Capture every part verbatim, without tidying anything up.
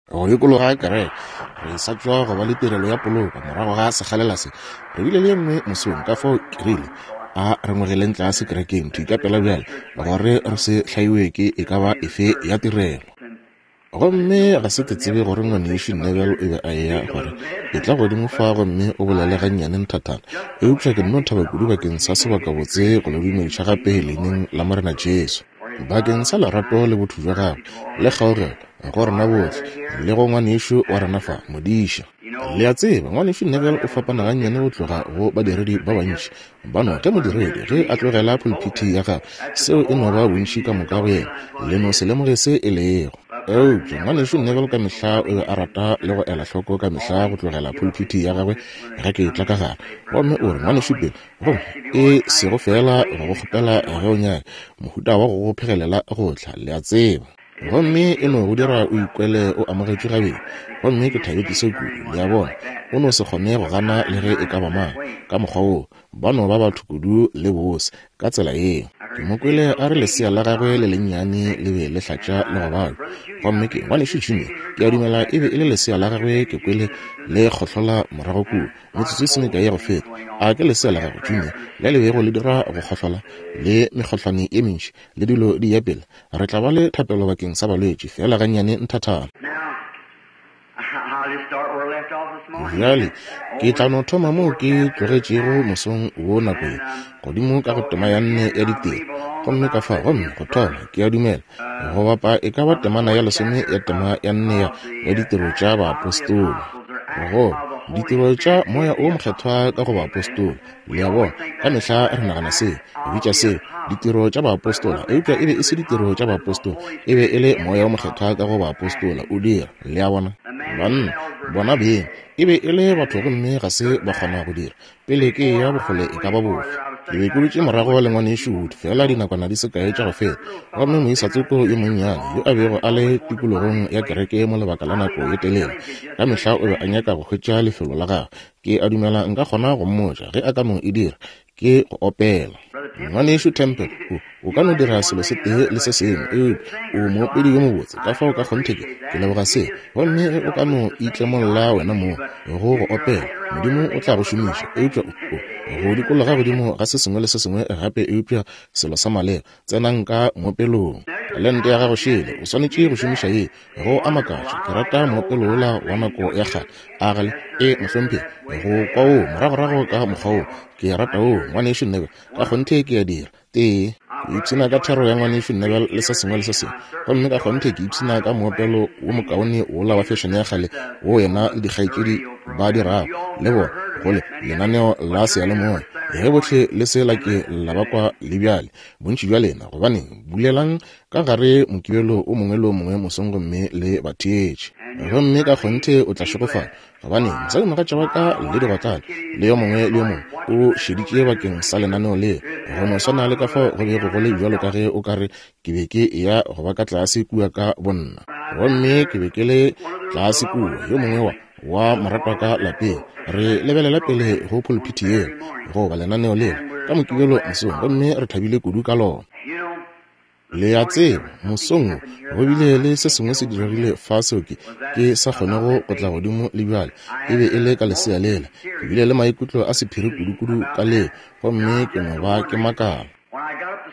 Go dikologa kereke, re sa tšwa go ba le tirelo ya poloko morago ga sekgalela se. Re bile le ye nngwe mosong, ka fao ke rile a re ngwegeleng tlase kerekeng thwi ka pela bjale, gore re se hlaiwe ke e ka ba efe ya tirelo. Gomme ga se ke tsebe gore ngwanešu Neville o be a eya gore etla godimo fa gomme o bolele gannyane nthathana, eupša ke nno thaba kudu bakeng sa sebakabotse go le dumediša gape leineng la Morena Jesu, bakeng sa lerato le botho bja gagwe le kgaogelo go rena bohle le go ngwanešu wa rena fa, modiša. Le a tseba, ngwanešu Neville o fapana gannyane go tloga go badiredi ba bantši. Ba no ge modiredi ge a tlogela pulpiti ya gagwe, seo e no ba bontši ka moka go yena, le no se lemoge se e lego. Eupša ngwanešu Neville ka mehla o be a rata le go ela hloko ka mehla go tlogela pulpiti ya gagwe ge ke etla ka gare. Gomme o re, ngwanešu Bill, gomme e sego fela go go kgopela ge o nyaka, mohuta wa go go phegelela go tla, le a tseba. Gomme e no go dira o ikwele o amogetšwe gabedi. Gomme ke thabetše se kudu, le a bona. O no se kgone go gana le ge e ka ba mang ka mokgwa woo. Ba no ba batho kudu le bose ka tsela yeo. Ke mo kwele a re lesea la gagwe le lennyane le be le hlatša le go balwa. Gomme ke ngwanešu Junior, ke a dumela e be e le lesea la gagwe, ke kwele le kgohlola morago kua metsotso e se mekae ya go feta. A ke lesea la gagwe Junior le le bego le dira go kgohlola le mekgohlwane ye mentši le dilo di ya pele. Re tla ba le thapelo bakeng sa balwetši fela gannyane nthathana. Bjale ke tla no thoma moo ke tlogetšego mosong wo nako ye, godimo ka go tema ya nne ya ditiro. Gomme ka fao, gomme go thoma, ke a dumela, go bapa e ka ba temana ya lesome ya tema ya nne ya, ya ditiro tša baapostola. Go ditiro tša moya o mokgethwa ka go baapostola. Le a bona, ka mehla re nagana se, bitša se ditiro tša baapostola, eupša e be e se ditiro tša baapostola, e be e le moya o mokgethwa ka go baapostola o dira. Le a bona, banna bona beng e be e le batho gomme ga se ba kgona go dira pele ke ya bokgole e ka ba bofe. Ke be ke dutše morago le ngwanešu Wood fela dinakwana di se kae tša go feta, gomme moisa tsoko yo monnyane yo a bego a le tikologong ya kereke mo lebaka la nako ye telele, ka mehla o be a nyaka go hwetša lefelo la gagwe. Ke a dumela nka kgona go mmotša ge a ka no e dira, ke go opela. Ngwanešu Temple, o, o ka no dira selo se tee le se sengwe, eupša o moopedi yo mobotse, ka fao ka kgonthe ke, ke leboga se. Gomme ge o ka no itlemolla wena moo go go opela, Modimo o tla go šomiša. Eupša o, o go dikologa godimo ga se sengwe le se sengwe gape, eupša selo sa maleba, tsenang ka moopelong. Talente ya gago šele, o swanetše go šomiša ye. Go a makatša, ke rata moopelo wola wa nako ya kgale. A gale e mohlomphegi go kwa wo moragorago ka mokgwa wo. Ke rata wo, ngwanešu Neville, ka kgonthe ke a dira. Tee, ke ipshina ka thero ya ngwanešu Neville le se sengwe le se sengwe. Gomme ka kgonthe ke ipshina ka moopelo wo mokaone wola wa fešene ya kgale wo yena le dikgaetšedi ba dirago le bona go le lenaneo la seyalemoya. Ge bohle le se la ke la ba kwa le bjale, bontši bja lena, gobaneng, bulelang ka gare mokibelo o mongwe le o mongwe mosong gomme le ba theetše. Gomme ka kgonthe o tla šegofala, gobane mosadimogatša wa ka le digotlane le yo mongwe le yo mongwe o šeditše bakeng sa lenaneo leo, go no swana le ka fao go bego go le bjalo ka ge o ka re ke be ke eya go ba ka tlase kua ka bonna. Gomme ke be ke le tlase kua, yo mongwe wa wa moratwa ka lapeng, re lebelela pele go pulpiti yeo goba lenaneo leo ka mokibelo mosong, gomme re thabile kudu ka lona. Le a tseba, mosong wo go bile le se sengwe se diregile fa seo ke, ke sa kgonego go tla godimo le bjale. E be e le ka lesea lela. Ke bile le maikutlo a sephiri kudu-kudu ka leo, gomme ke no ba ke makala.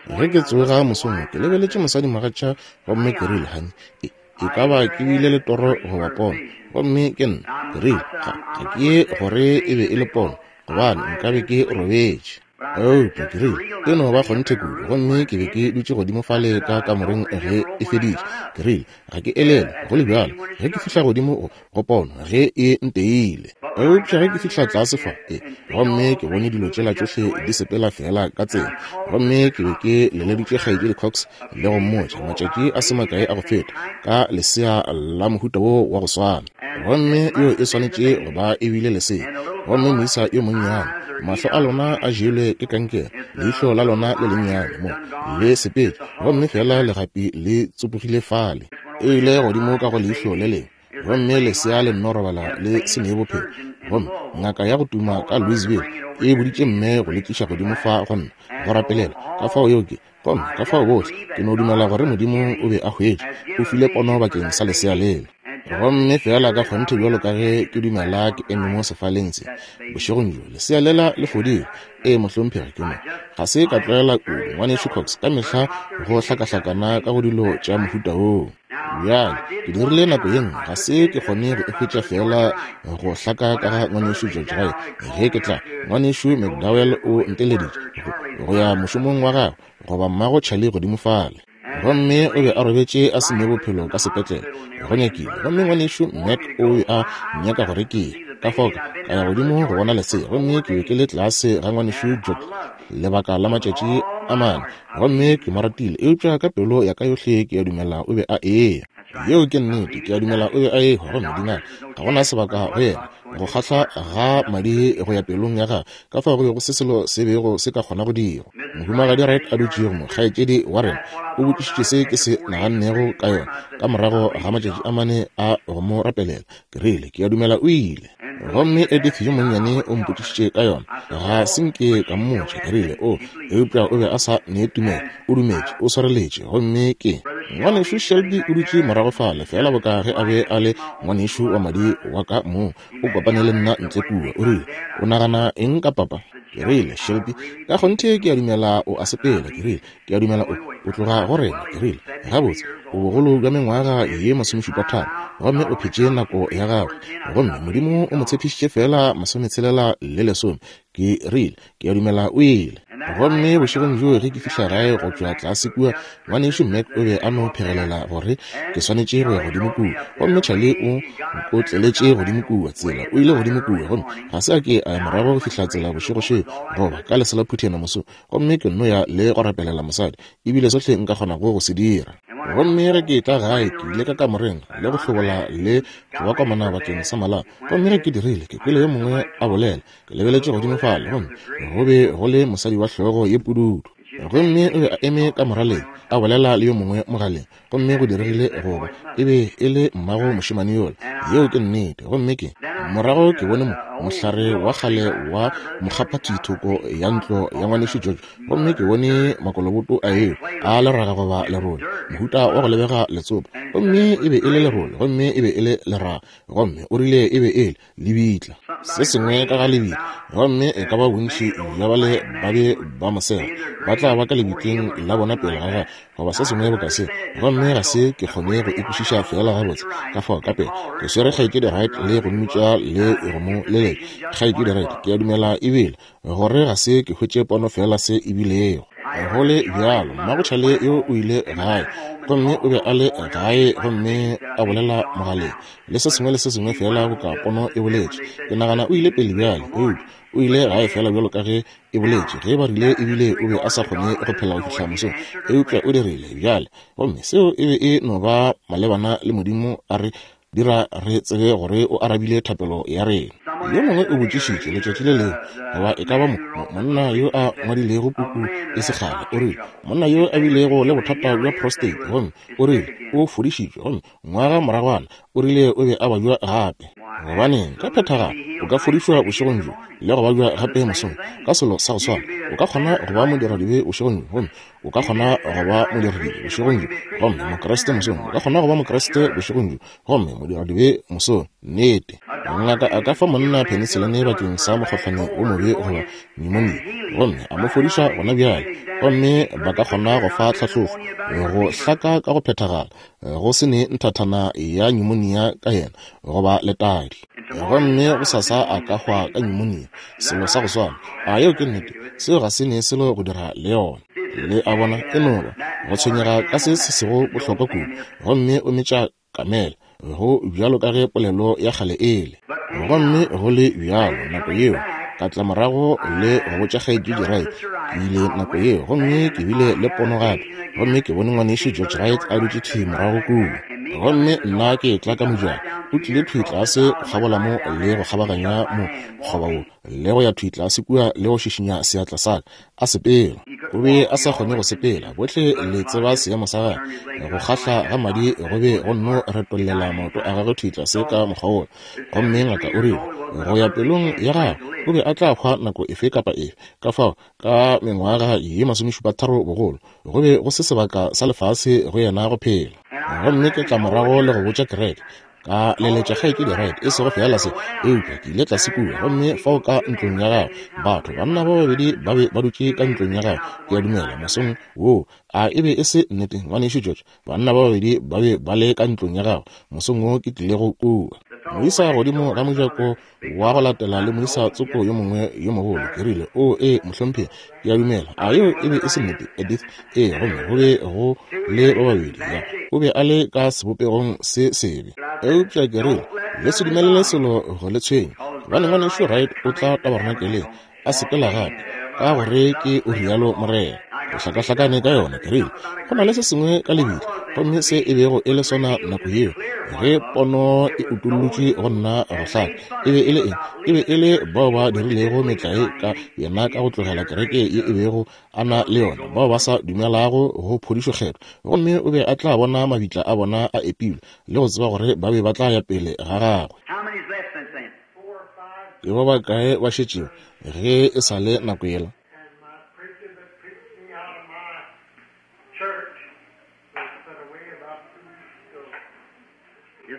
Ge ke tsoga mosong, ke lebeletše mosadimogatša gomme ke rile, honey, e, e ka ba ke bile le toro goba pono. Gomme ke nna, ke rile, ga, ga ke ye gore e be e le pono, gobane nkabe ke robetše. Eupša ke rile, e no ba kgonthe kudu. Gomme ke be ke dutše godimo fale ka kamoreng ge e feditše. Ke rile, ga ke elelwe go le bjalo ge ke fihla godimo go pono ge e nteile. Eupša ge ke fihla tlase fa, e, gomme ke bone dilo tšela tšohle di sepela fela ka tsela. Gomme ke be ke leleditše kgaetšedi Cox le go mmotša matšatši a se makae a go feta ka lesea la mohuta wo wa go swana. Gomme yo e swanetše go ba e bile lesea. Gomme moisa yo monnyane, mahlo a lona a jelwe ke kankere, leihlo la lona le lennyane mo le sepetše, gomme fela legapi le tsopogile fale. E ile godimo ka go leihlo le lengwe, gomme lesea le nno robala le se ne bophelo. Gomme ngaka ya go tuma ka Louisville e boditše mme go le tliša godimo fa go nna go rapelela. Ka fao yeo ke, gomme ka fao bohle ke no dumela gore Modimo o be a hwetše, o file pono bakeng sa lesea lela. Gomme fela ka kgonthe bjalo ka ge ke dumela ke eme mo sefaleng se bošegong bjo, lesea lela le fodile. Ee, mohlomphegi, ke mo ga se ka tlwaela kudu, ngwanešu Cox, ka mehla go hlakahlakana ka go dilo tša mohuta woo. Bjale ke dirile nako ye nngwe, ga se ke kgone go e hwetša fela go hlaka ka ga ngwanešu George Wright. Ge ke tla, ngwanešu McDowell o nteleditše go ya mošomong wa gagwe goba mmago Charlie godimo fale. Gomme o be a robetše a se ne bophelo ka sepetlele, go nyakile. Gomme ngwanešu Mac o be a nyaka gore ke ye. Ka fao ka ya godimo go bona lesea, gomme ke be ke le tlase ga ngwanešu George lebaka la matšatši a mane, gomme ke mo ratile, eupša ka pelo ya ka yohle ke a dumela o be a eya. Yeo ke nnete, ke a dumela o be a ehwa. Gomme dingaka, ga gona sebaka go yena go kgahla ga madi go ya pelong ya gagwe, ka fao go be go se selo se bego se ka kgona go dirwa. Mohumagadi Wright a dutšego mo, kgaetšedi wa rena, o botšišitše se ke se nagannego ka yona ka morago ga matšatši a mane a go mo rapelela. Ke rile, ke a dumela o ile. Gomme Edith yo monnyane o mpotšišitše ka yona, ga se nke ka mmotša. Ke rile, o, eupša o be a sa ne tumelo, o dumetše, o swareletše. Gomme ke ngwanešu Shelby o dutše morago fale, fela boka ge a be a le ngwanešu wa madi wa ka mong, o kopane le nna ntle kua. O rile, o nagana eng ka papa? Ke rile, Shelby, ka kgonthe ke a dumela o a sepela. Ke rile, ke a dumela o o tloga go rena. Ke rile, gabotse, o bogolo bja mengwaga ye masomešupa tharo, gomme o phetše nako ya gagwe, gomme Modimo o mo tshepišitše fela masometshelela le lesome. Ke rile, ke a dumela o ile. Gomme bošegong bjo ge ke fihla gae go tšwa tlase kua, ngwanešu Mac o be a no phegelela gore ke swanetše go ya godimo kua. Gomme Charlie o nkotleletše godimo kua tsela, o ile godimo kua, gomme ga se a ke a ya morago go fihla tsela bošego goba ka lesela phuthena moso. Gomme ke nno ya le go rapelela mosadi, ebile sohle nka kgonago go se dira. Gomme ge ke tla gae, ke ile ka kamoreng le go hlobola le go ba komana bakeng sa malapa. Gomme ge ke dirile, ke kwele yo mongwe a bolela. Ke lebeletše godimo fale, gomme go be go le mosadi wa hlogo ye pududu. Gomme o be a eme ka moraleng a bolela le yo mongwe mogaleng. Gomme go diregile goba e be e le mmago mošemane yola. Yeo ke nnete. Gomme ke morago ke bone mo mohlare wa kgale wa mokgaphathithoko ya ntlo ya ngwanešu George. Gomme ke bone makoloboto a eo a leraga goba lerole, mohuta wa go lebega letsopa. Gomme e be e le lerole, gomme e be e le leraga. Gomme o rile e be e le lebitla, se sengwe ka ga lebitla. Gomme e ka ba bontši bja bale ba be ba mosega ba tla ba ka lebitleng la bona pele ga gagwe, goba se sengwe boka se. Gomme ga se ke kgone go ikwešiša fela gabotse. Ka fao ka pele ke swere kgaetšedi Wright le go mmitša le go mo leletša. Kgaetšedi Wright, ke a dumela ebile gore ga se ke hwetše pono fela se ebilego. Go le bjalo, mmago Charlie yo o ile gae, gomme o be a le gae, gomme a bolela mogaleng le se sengwe le se sengwe fela boka pono e boletše. Ke nagana o ile pele bjale, eupša o ile gae fela bjalo ka ge e boletše. Ge ba rile ebile o be a sa kgone go phela go fihla mosong, eupša o dirile bjale. Gomme seo e be e no ba malebana le Modimo a re dira re tsebe gore o arabile thapelo ya rena. Yo mongwe o botšišitše letšatši le lengwe, goba e ka ba mo monna yo a ngwadilego puku e sekgale, o rile monna yo a bilego le bothata bja prostate, gomme o rile o fodišitšwe, gomme ngwaga moragwana o rile o be a babja gape. Gobaneng, ka phethagalo o ka fodišwa bošegong bjo le go babja gape mosong ka selo sa go swana. O ka kgona go ba modiradibe bošegong bjo, gomme o ka kgona go ba modiradibe bošegong bjo, gomme mokreste mosong. O ka kgona go ba mokreste bošegong bjo, gomme modiradibe mosong. Nnete, ngaka a ka fa monna penicillin bakeng sa mokgohlane wo mobe goba pneumonia, gomme a mo fodiša gona bjale. Gomme ba ka kgona go fa tlhahlobo go hlaka ka go phethagala, go se ne nthathana ya pneumonia ka yena goba letadi. Gomme go sasa a ka hwa ka pneumonia, selo sa go swana. A yeo ke nnete? Seo ga se ne selo go dira le yona. Le a bona, e no ba go tshwenyega ka se se sego bohlokwa kudu, gomme o metša kamela, go bjalo ka ge polelo ya kgale ele. Gomme go le bjalo nako yeo ka tla morago le go botša kgaetšedi Wright. Ke ile nako yeo, gomme ke bile le pono gape, gomme ke bone ngwanešu George Wright a dutše thwi morago kua. Gomme nna ke tla ka mojako, o tlile thwi tlase go kgabola mo le go kgabaganya mo kgoba wo le go ya thwi tlase kua le go šišinya seatla sa ka, a sepela. O be a sa kgone go sepela. Bohle le tseba seemo sa gagwe, go kgahla ga madi go be go nno retollela maoto a gagwe thwi tlase ka mokgwa wola. Gomme ngaka o rile go ya pelong ya gagwe o be a tla hwa nako efe kapa efe. Ka fao ka mengwaga ye masomešupa tharo bogolo, go be go se sebaka sa lefase go yena go phela. Gomme ke tla morago le go botša kereke, Ka leletša kgaetšedi Wright, e sego feela se, eupša ke ile tlase kua, gomme fao ka ntlong ya gagwe, batho, banna ba babedi ba be ba dutše ka ntlong ya gagwe, ke a dumela, mosong woo. A e be e se nnete, ngwanešu George? Banna ba babedi ba be ba le ka ntlong ya gagwe mosong wo ke tlilego kua. Moisa godimo ga mojako wa go latela le moisa tsoko yo mongwe yo mogolo. Ke rile, o ee, mohlomphegi, ke a dumela. A yeo e be e se nnete, Edith? Ee, gomme go be go le ba babedi. Ya, o be a le ka sebopegong se sebe. Eupša ke rile, le se dumelele selo go le tshwenya, gobane ngwanešu Wright o tla tabernakeleng a sepela gape, ka gore ke o rialo Morena. O hlakahlakane ka yona. Ke rile, go na le se sengwe ka lebitla, gomme se e bego e le sona nako yeo ge pono e utollotšwe go nna go hlaka. E be e le eng? E be e le bao ba dirilego metlae ka yena ka go tlogela kereke ye e bego a na le yona, bao ba sa dumelago go phodišo kgethwa, gomme o be a tla bona mabitla a bona a epilwe le go tseba gore ba be ba tla ya pele ga gagwe. Ke ba bakae ba šetšego ge e sa le nako yela?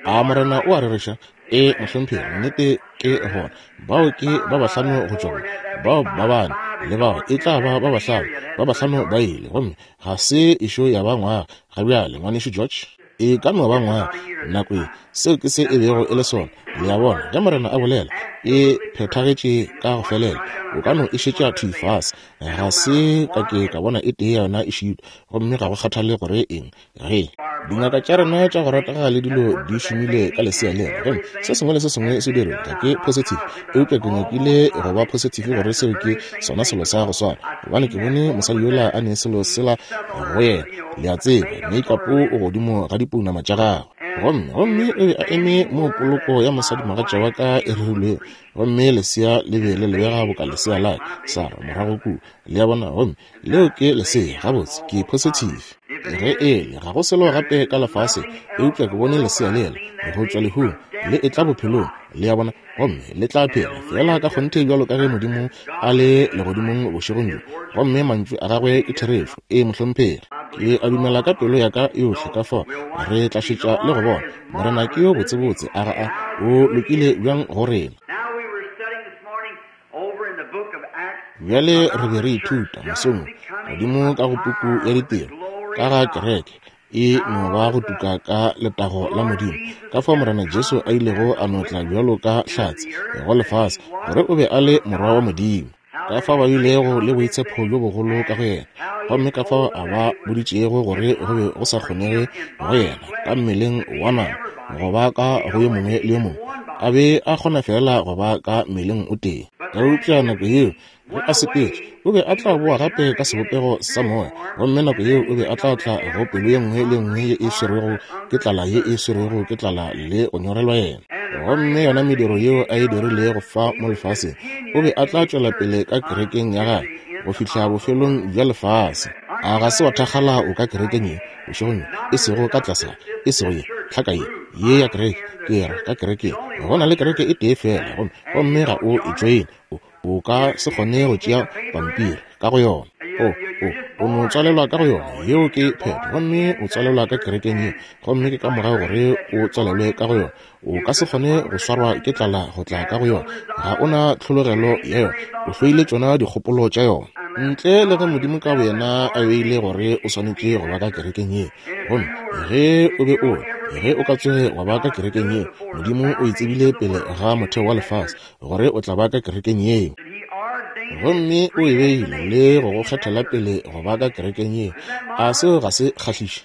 A Morena o a rereša? Ee, mohlomphegi, nnete ke gona. Bao ke ba bahlano go tšwa go bao ba bane, le bao e tla ba ba bahlano, ba bahlano ba ile, gomme ga se ešo ya ba ngwaga ga bjale, ngwanešu George. E ka no ba ngwaga nako ye. Seo ke se e bego e le sona. Le a bona, ge Morena a bolela, e phethagetše ka go felela. O ka no e šetša thwi fase. Ga se ka ke ka bona e tee ya yona e šitwa, gomme ga go kgathale gore eng. Ge dingaka tša rena tša go ratega le dilo di šomile ka lesea lena, gomme se sengwe le se sengwe se dirwe, ga ke positive, eupša ke nyakile go ba positive gore seo ke sona selo sa go swana, gobane ke bone mosadi yola a ne selo sela go yena, le a tseba, makeup o godimo ga dipounama tša gagwe. Gomme gomme o be a eme mo poloko ya mosadi mogatša wa ka e rerilwego, gomme lesea le be le lebega boka lesea la Sarah morago kua, le a bona, gomme leo ke lesea. Gabotse, ke positive. Ge ele ga go selo gape ka lefase, eupša ke bone lesea lela go tšwa lehung le etla bophelong, le a bona, gomme le tla phela fela ka kgonthe bjalo ka ge Modimo a le legodimong bošegong bjo, gomme mantšu a gagwe ke therešo. Ee, mohlomphegi, ke a dumela ka pelo ya ka yohle. Ka fao re tla šetša le go bona Morena ke yo botsebotse, a ga a o lokile bjang go rena. Bjale re be re ithuta mosong godimo ka go puku ya Ditiro ka ga kereke e no ba go tuka ka letago la Modimo, ka fao Morena Jesu a ilego a no tla bjalo ka hlatse go lefase gore o be a le morwa wa Modimo, ka fao ba bilego le boitshepo bjo bogolo ka go yena, gomme ka fao a ba boditšego gore go be go sa kgonege go yena ka mmeleng wa nama go ba ka go yo mongwe le yo mongwe, a be a kgona fela go ba ka mmeleng o tee. Eupša nako yeo ge a sepetše, o be a tla boa gape ka sebopego sa moya, gomme nako yeo o be a tla tla go pelo ye nngwe le nngwe ye e swerwego ke tlala, ye e swerwego ke tlala le go nyorelwa yena. Gomme yona mediro yeo a e dirilego fa mo lefaseng, o be a tla tšwela pele ka kerekeng ya gagwe go fihla bofelong bja lefase. A ga se wa thakgala o ka kerekeng ye bošegong, e sego ka tlase, e sego ye tlhaka ye ye ya kereke, ke ra ka kerekeng go na le kereke e tee fela, gomme gomme ga o e joine, o o ka se kgone go tšea pampiri ka go yona, o o o no tswalelwa ka go yona, yeo ke phetho, gomme o tswalelwa ka kerekeng yeo, gomme ke ka morago gore o tswalelwe ka go yona. O ka se kgone go swarwa ke tlala go tla ka go yona, ga o na tlhologelo ya yona, o hloile tšona dikgopolo tša yona, ntle le ge Modimo ka boyena a beile gore o swanetše go ba ka kerekeng ye. Gomme ge o be o ge o ka tsoge wa ba ka kerekeng ye, Modimo o e tsebile pele ga motheo wa lefase gore o tla ba ka kerekeng yeo, gomme o e beile le go go kgethela pele go ba ka kerekeng yeo. A seo ga se kgahliše?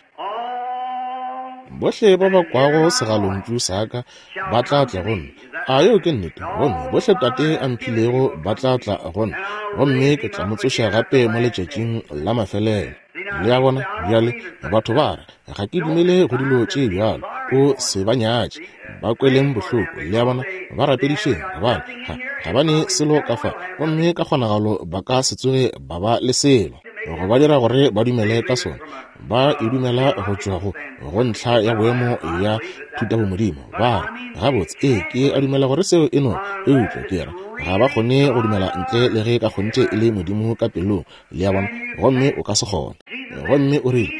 Bohle ba ba kwago segalontšu sa ka ba tla tla go nna. A yeo ke nnete? Gomme bohle Tate a mphilego ba tla tla go nna, gomme ke tla mo tsoša gape mo letšatšing la mafelelo. Le a bona? Bjale batho ba re, ga ke dumele go dilo tše bjalo. O se ba nyatše, ba kweleng bohloko. Le a bona? Ba rapedišeng, gobane ga ga ba ne selo ka fa, gomme ka kgonagalo ba ka se tsoge ba ba le selo go ba dira gore ba dumele ka sona. Ba e dumela go tšwa go, go ntlha ya boemo ya thutabomodimo. Ba re, gabotse, ee, ke a dumela gore seo e no, eupša ke ra, ga ba kgone go dumela ntle le ge ka kgonthe e le Modimo ka pelong, le a bona, gomme o ka se kgone. Gomme o rile,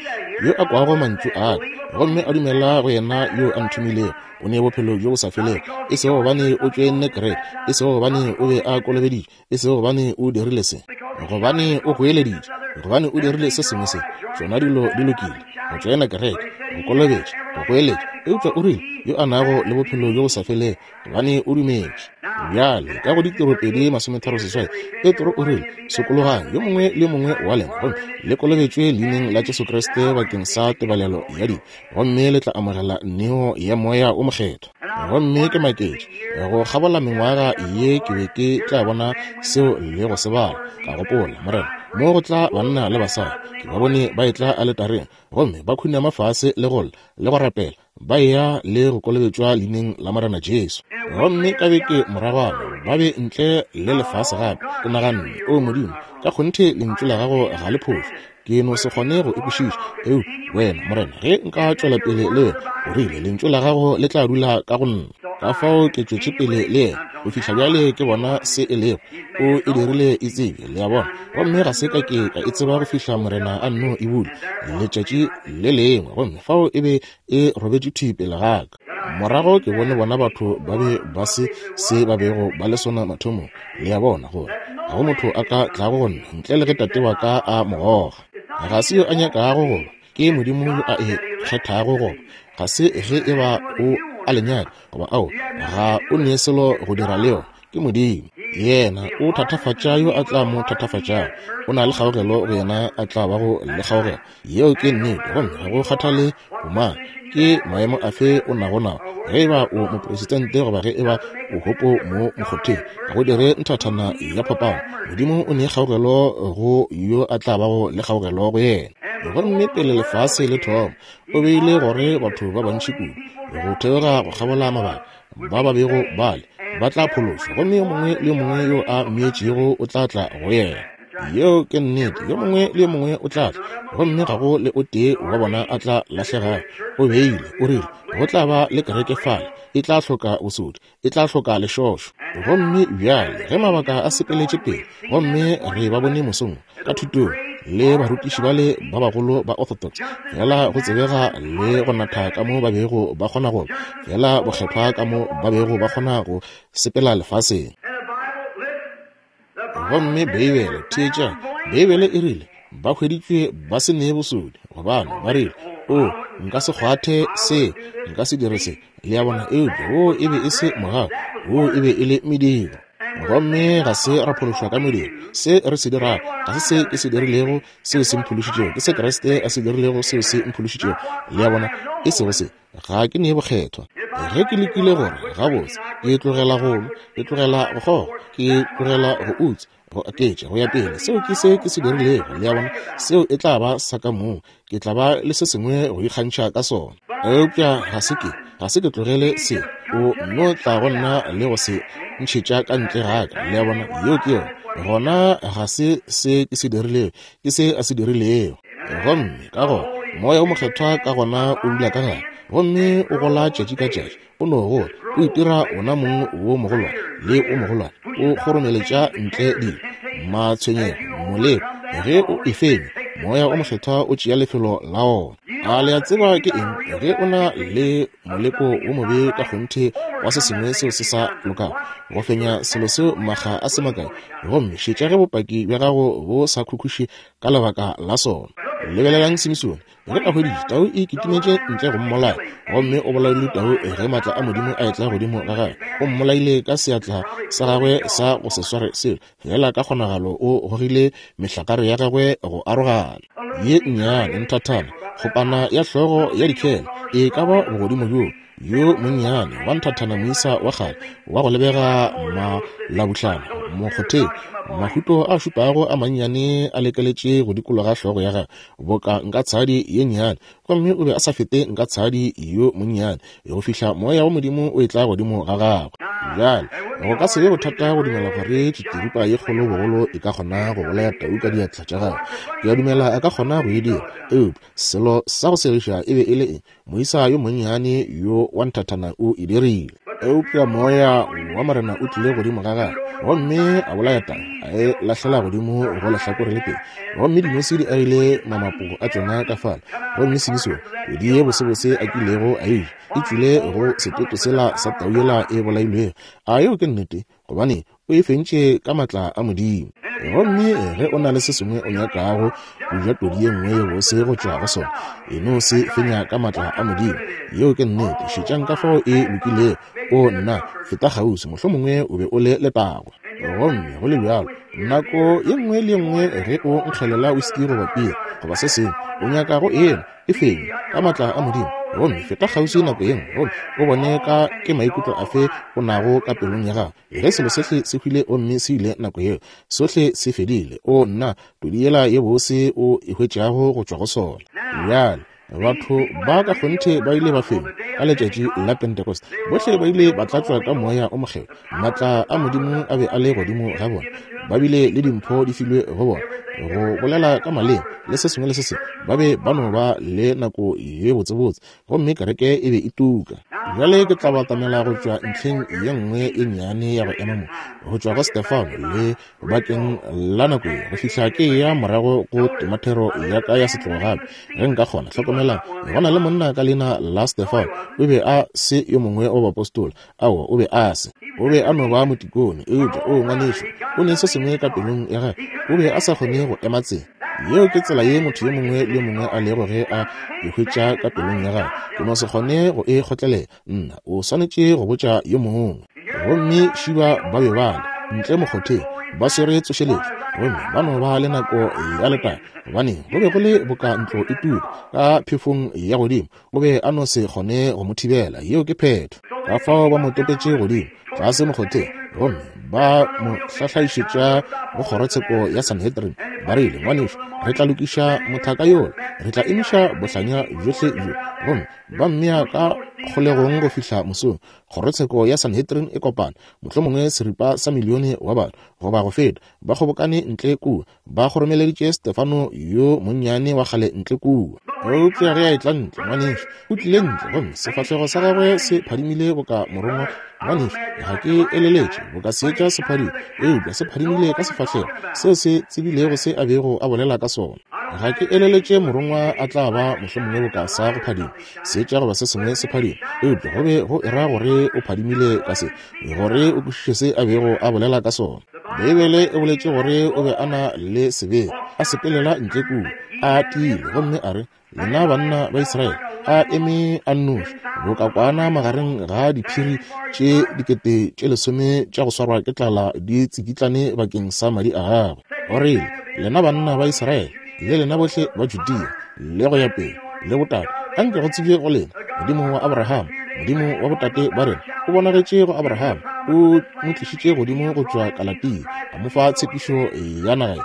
yo a kwago mantšu a ka, gomme a dumela go yena yo a nthomilego, o ne bophelo bjo bo sa felego, e sego gobane o tšoenne kereke, e sego gobane o be a kolobeditšwe, e sego gobane o dirile se, gobane o goeleditše, gobane o dirile se sengwe se, tšona dilo di lokile, go tšoena kereke, go kolobetša, go goeletša, eupša o rile, yo a nago le bophelo bjo bo sa felego, gobane o dumetše. Bjale, ka go Ditiro pedi masometharo seswai, Petro o rile, sokologang yo mongwe le yo mongwe wa lena, gomme le kolobetšwe leineng la Jesu Kriste bakeng sa tebalelo ya dibe, gomme le tla amogela neo ya Moya o Mokgethwa. Gomme ke maketše, go kgabola mengwaga ye ke be ke tla bona seo le go se bala. Ka gopola, Morena, mo go tla banna le basadi, ke ba bone ba etla aletareng, gomme ba khunama fase le go lla le go rapela, ba eya le go kolobetšwa leineng la Morena Jesu. Gomme ka beke moragwana ba be ntle le lefase gape. Ke naganne, o Modimo, ka kgonthe lentšu la gago ga le phošo, ke no se kgone go e kwešiša. Eu wena Morena, ge nka tšwela pele le wena, o rile lentšu la gago le tla dula ka go nna. Ka fao ke tšwetše pele le yena go fihla bjale ke bona se e lego. O e dirile e tsebe, le a bona. Gomme ga se ka ke ka e tseba go fihla Morena a nno e bula letšatši le lengwe, gomme fao e be e robetše thwi pele ga ka. Morago ke bone bona batho ba be ba se se ba bego ba le sona mathomong, le a bona, gore ga go motho a ka tlago go nna ntle le ge tate wa ka a mo goga. Ga se yo a nyakago goba, ke Modimo yo a e kgethago goba. Ga se ge e ba o a le nyaka goba ao, ga o ne selo go dira le yona, ke Modimo. Yena o thatafatša yo a tla mo thatafatšago, o na le kgaogelo go yena a tla bago le kgaogelo. Yeo ke nnete, gomme ga go kgathale bomang, ke maemo afe o nago nao, ge e ba o mopresidente goba ge e ba o hopo mo mokgotheng, ga go dire nthathana ya phapano. Modimo o ne kgaogelo go yo a tla bago le kgaogelo go yena. Gomme pele lefase le thoma, o beile gore batho ba bantši kudu go theoga go kgabola mabaka ba ba bego bale ba tla phološwa, gomme yo mongwe le yo mongwe yo a mmeetšego o tla tla go yena. Yeo ke nnete, yo mongwe le yo mongwe o tla tla, gomme ga go le o tee wa bona a tla lahlegago. O beile, o rile go tla ba le kereke fale, e tla hloka bosodi, e tla hloka lešošo. Gomme bjale ge mabaka a sepeletše pele, gomme re ba bone mosong ka thutong le barutiši bale ba bagolo ba Orthodox, fela go tsebega le go natha ka mo ba bego ba kgona go, fela bokgethwa ka mo ba bego ba kgona go sepela lefaseng. Gomme Beibele, theetša, Beibele e rile ba hweditšwe ba se ne bosodi, gobane ba rile, o, nka se kgwathe se, nka se dire se, le a bona. Eupša wo e be e se mogau, wo e be e le mediro. Gomme ga se ra phološwa ka mediro. Se re se dirago ga se se ke se dirilego seo se mphološitšego, ke se Kriste a se dirilego seo se mphološitšego, le a bona, e sego se. Ga ke ne bokgethwa. Ge ke lekile gore gabotse, ke tlogela go nwa, ke tlogela go kgoga, ke tlogela go utswa, go aketša, go ya pele, seo ke se ke se dirilego, le a bona, seo e tla ba sa ka mong, ke tla ba le se sengwe go ikgantšha ka sona. Eupša ga se ke, ga se ke tlogele se, o nno tla go nna le go se ntšhetša ka ntle ga ka, le a bona, yeo ke yona. Gona ga se se ke se dirilego, ke se a se dirilego. Gomme ka gona Moya o Mokgethwa ka gona o dula ka gare, gomme o gola tšatši ka tšatši, o no gola, o itira ona mong wo mogolwane le o mogolwane, o kgoromeletša ntle dilo, matshwenyego, moleko. Ge o e fenya, Moya o Mokgethwa o tšea lefelo la ona. A le a tseba ke eng? Ge o na le moleko wo mobe ka kgonthe wa se sengwe seo se sa lokago, go fenya selo seo makga a se makae, gomme šetša ge bopaki bja gago bo sa khukhuše ka lebaka la sona. Lebelelang Simisone, ge a hweditše tau e kitimetše ntle go mmolaya, gomme o bolaile tau ge maatla a Modimo a etla godimo ga gagwe. O mmolaile ka seatla sa gagwe sa go se sware selo, fela ka kgonagalo o gogile mehlakare ya gagwe go arogana. Ye nnyane nthathana, kgopana ya hlogo ya dikhele, e ka ba bogodimo bjo, yo monnyane wa nthathana moisa wa kgale wa go lebega malabuhlana mokgotheng, mahuto a šupago a mannyane a lekeletše go dikologa hlogo ya gagwe boka nka tshadi ye nnyane, gomme o be a sa fete nka tshadi yo monnyane go fihla moya wa Modimo o etla godimo ga gagwe. Bjale, go ka se be bothata go dumela gore tšitiripa ye kgolo bogolo e ka kgona go bolaya tau ka diatla tša gagwe. Ke a dumela a ka kgona go e dira. Eupša selo sa go segiša e be e le eng? Moisa yo monnyane yo wa nthathana o e dirile. Eupša moya wa Morena o tlile godimo ga gagwe, gomme a bolaya tau, a e lahlela godimo go lehlakore le tee. Gomme dinose di agile mamapo a tšona ka fale, gomme Simisone di ye bosebose a kilego a e ja, e tšwile go setoto sela sa tau yela e bolailwego. A yeo ke nnete? Gobane o e fentše ka matla a Modimo. Gomme ge o na le se sengwe o nyakago go ja todi ye nngwe ye bose go tšwa go sona, e no se fenya ka matla a Modimo. Yeo ke nnete. Šetšang ka fao e lokilego. O nna, feta kgauswi, mohlomongwe o be o le letago. Gomme go le bjalo, nako ye nngwe le ye nngwe ge o nkgelela whisky goba piri goba se sengwe, o nyaka go enwa, e fenye ka matla a Modimo. Gomme feta kgauswi nako ye nngwe, gomme o bone ka ke maikutlo afe o nago ka pelong ya gago. Ge selo sohle se hwile gomme se ile nako yeo, sohle se fedile. O nna, todi yela ye bose o e hwetšago go tšwa go sona. Bjale, batho ba ka kgonthe ba ile ba fenya ka letšatši la Pentecost. Bohle ba ile ba tlatšwa ka moya o mokgethwa. Matla a Modimo a be a le godimo ga bona. Ba bile le dimpho di filwe go bona, go bolela ka maleme le se sengwe le se sengwe. Ba be ba no ba le nako ye botsebotse, gomme kereke e be e tuka. Bjale ke tla batamela go tšwa ntlheng ye nngwe e nnyane ya go ema mo, go tšwa go Stefano le bakeng la nako ye, go fihla ke ya morago go temathero ya ka ya setlogo gape, ge nka kgona. Hlokomelang, go na le monna ka leina la Stefano. O be a se yo mongwe wa baapostola. Aowa, o be a se. O be a no ba motikone. Eupša, o ngwanešu, o ne se sengwe ka pelong ya gagwe. O be a sa kgone go ema tsela. Yeo ke tsela ye motho yo mongwe le yo mongwe a lego ge a e hwetša ka pelong ya gagwe. Ke no se kgone go e kgotlelela. Nna, o swanetše go botša yo mongwe. Gomme šiba ba be ba le ntle mokgotheng, ba swere tsošeletšo, gomme ba no ba le nako ya letaba, gobane go be go le boka ntlo e tuka ka phefong ya godimo. O be a no se kgone go mo thibela. Yeo ke phetho. Ka fao ba mo topetše godimo tlase mokgotheng, gomme ba mo hlahlaišetša go kgorotsheko ya Sanhedrin. Ba rile, ngwanešu, re tla lokiša mothaka yola, re tla emiša bohlanya bjohle bjo. Gomme ba mmea ka kgolegong go fihla mosong. Kgorotsheko ya Sanhedrin e kopana, mohlomongwe seripa sa milione wa batho goba go feta, ba kgobokane ntle kua, ba kgoromeleditše Stefano yo monnyane wa kgale ntle kua. Eupša ge a etla ntle, ngwanešu, o tlile ntle, gomme sefahlego sa gagwe se phadimile boka morongwa. Ngwanešu, ga ke eleletše boka seetša se phadime, eupša se phadimile ka sefahlego seo se tsebilego se a bego a bolela ka sona. Ga ke eleletše morongwa a tla ba mohlomongwe boka sa go phadima seetša goba se sengwe se phadima, eupša go be go era gore o phadimile ka se, gore o kwešiše se a bego a bolela ka sona. Beibele e boletše gore o be a na le sebete, a sepelela ntle kua a tiile, gomme a re, lena banna ba Israele, a eme a nnoši boka kwana magareng ga diphiri tše dikete tše lesome tša go swarwa ke tlala di tsikitlane bakeng sa madi a gagwe. O rile, lena banna ba Israele le lena bohle ba Judea le go ya pele le botate, anke go tsebje go lena, Modimo wa Abraham, Modimo wa botate ba rena, o bonagetše go Abraham, o mo tlišitše godimo go tšwa Kalatia, a mo fa tshepišo ya naga,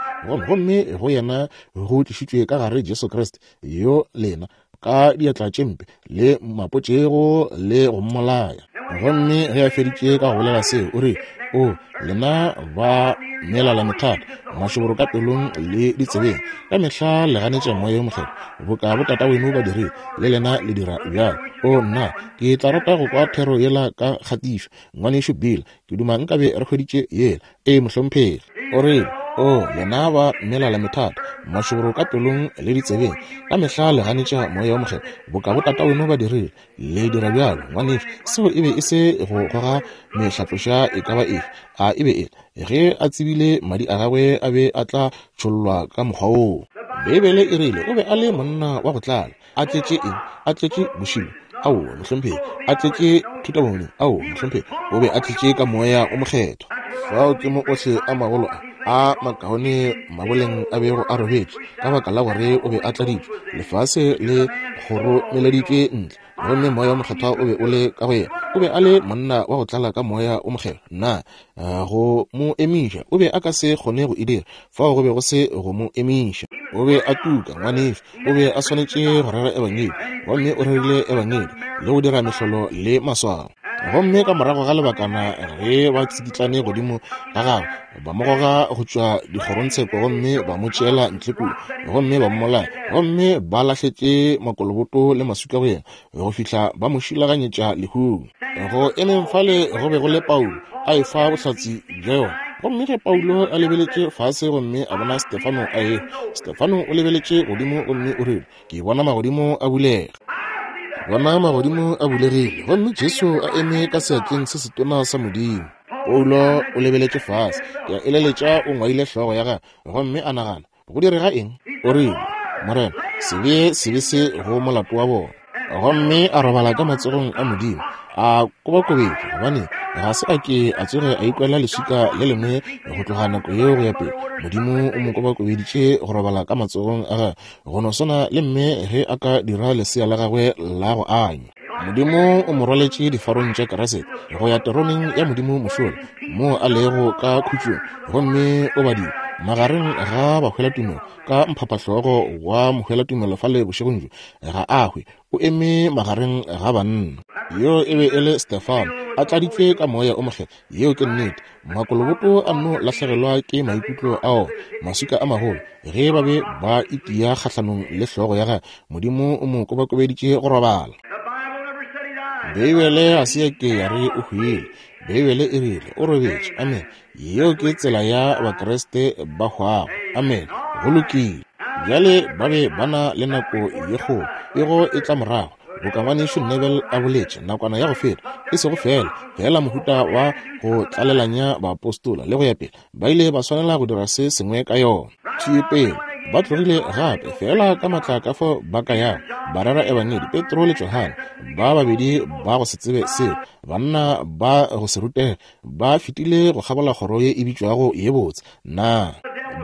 gomme go yena go tlišitšwe ka gare Jesu Kriste, yo lena ka diatla tše mpe le mapotšego le go mmolaya. Gomme ge a feditše ka go bolela seo, o re, o lena ba melala methata, mašoboro ka pelong le ditsebeng, ka mehla le ganetša moya yo mokgethwa, boka botata weno ba dirile, le lena le dira bjalo. O nna, ke tla rata go kwa thero yela ka kgatišo, ngwanešu Bill, ke duma nkabe re hweditše yela. Ee, mohlomphegi. O rile, o lena ba melala methata, mašoboro ka pelong le ditsebeng, ka mehla le ganetša moya wo mokgethwa, boka botata weno ba dirile, le dira bjalo. Ngwanešu, seo e be e se go goga mehlatloša e ka ba efe. A e be e le ge a tsebile madi a gagwe a be a tla tšhollwa ka mokgwa woo. Beibele e rile o be a le monna wa go tlala, a tletše eng? A tletše bošilo? Aowa, mohlomphegi. A tletše thutabomodimo? Aowa, mohlomphegi. O be a tletše ka moya o mokgethwa. Fao ke mo ohle a magolo a a makaone maboleng a bego a robetše, ka baka la gore o be a tladitšwe, lefase le kgoromeleditšwe ntle, gomme moya o mokgethwa o be o le ka go yena. O be a le monna wa go tlala ka moya o mokgethwa. Na go mo emiša o be a ka se kgone go e dira? Fao go be go se go mo emiša. O be a tuka, ngwanešu. O be a swanetše go rera ebangedi, gomme o rerile ebangedi le go dira mehlolo le maswao. Gomme ka morago ga lebakana ge ba tsikitlane godimo ga gagwe, ba mo goga go tšwa dikgorongtsheko gomme ba mo tšeela ntle kua, gomme ba mmolaya, gomme ba lahletše makoloboto le maswika go yena go fihla ba mo šilaganyetša lehung. Go emeng fale go be go le Paulo a efa bohlatse bja yona. Gomme ge Paulo a lebeletše fase gomme a bona Stefano a ehwa, Stefano o lebeletše godimo gomme o rile, ke bona magodimo a bulega. Bona magodimo a bulegile, gomme Jesu a eme ka seatleng se setona sa Modimo. Paulo o lebeletše fase, ke a eleletša o ngwaile hlogo ya gagwe, gomme a nagana, go direga eng? O rile, Morena, se bee sebe se go molato wa bona. Gomme a robala ka matsogong a Modimo, a kobakobetšwa, gobane ga se a ke a tsoge a ikwela leswika le lengwe go tloga nako yeo go ya pele. Modimo o mo kobakobeditše go robala ka matsogong a gagwe, go no swana le mme ge a ka dira lesea la gagwe la go anywa. Modimo o mo rwaletše difarong tša Kriste go ya teroneng ya Modimo mošola, moo a lego ka khutšong, gomme o badile magareng ga bahwelatumelo ka mphaphahlogo wa mohwelatumelo fale bošegong bjo. Ga a hwe, o eme magareng ga banna. Yo e be e le Stefano, a tladitšwe ka moya o mokgethwa. Yeo ke nnete. Makoloboto a nno lahlegelwa ke maikutlo ao, maswika a magolo, ge ba be ba itia kgahlanong le hlogo ya gagwe. Modimo o mo kobakobeditše go robala. Beibele ga se ya ke ya re o hwile. Beibele e rile o robetše. Amen. Yeo ke tsela ya Bakriste ba hwago. Amen. Go lokile. Bjale ba be ba na le nako ye kgolo, pego e tla morago, boka ngwanešu Neville a boletše nakwana ya go feta, e sego fela fela mohuta wa go tlalelanya baapostola le go ya pele. Ba ile ba swanela go dira se sengwe ka yona. Thwi pele ba tlogile gape fela ka matla ka fao ba ka yago, ba rera ebangedi. Petro le Johane ba babedi ba go se tsebe seo, banna ba go se rutege, ba fetile go kgabola kgoro ye e bitšwago ye botse. Na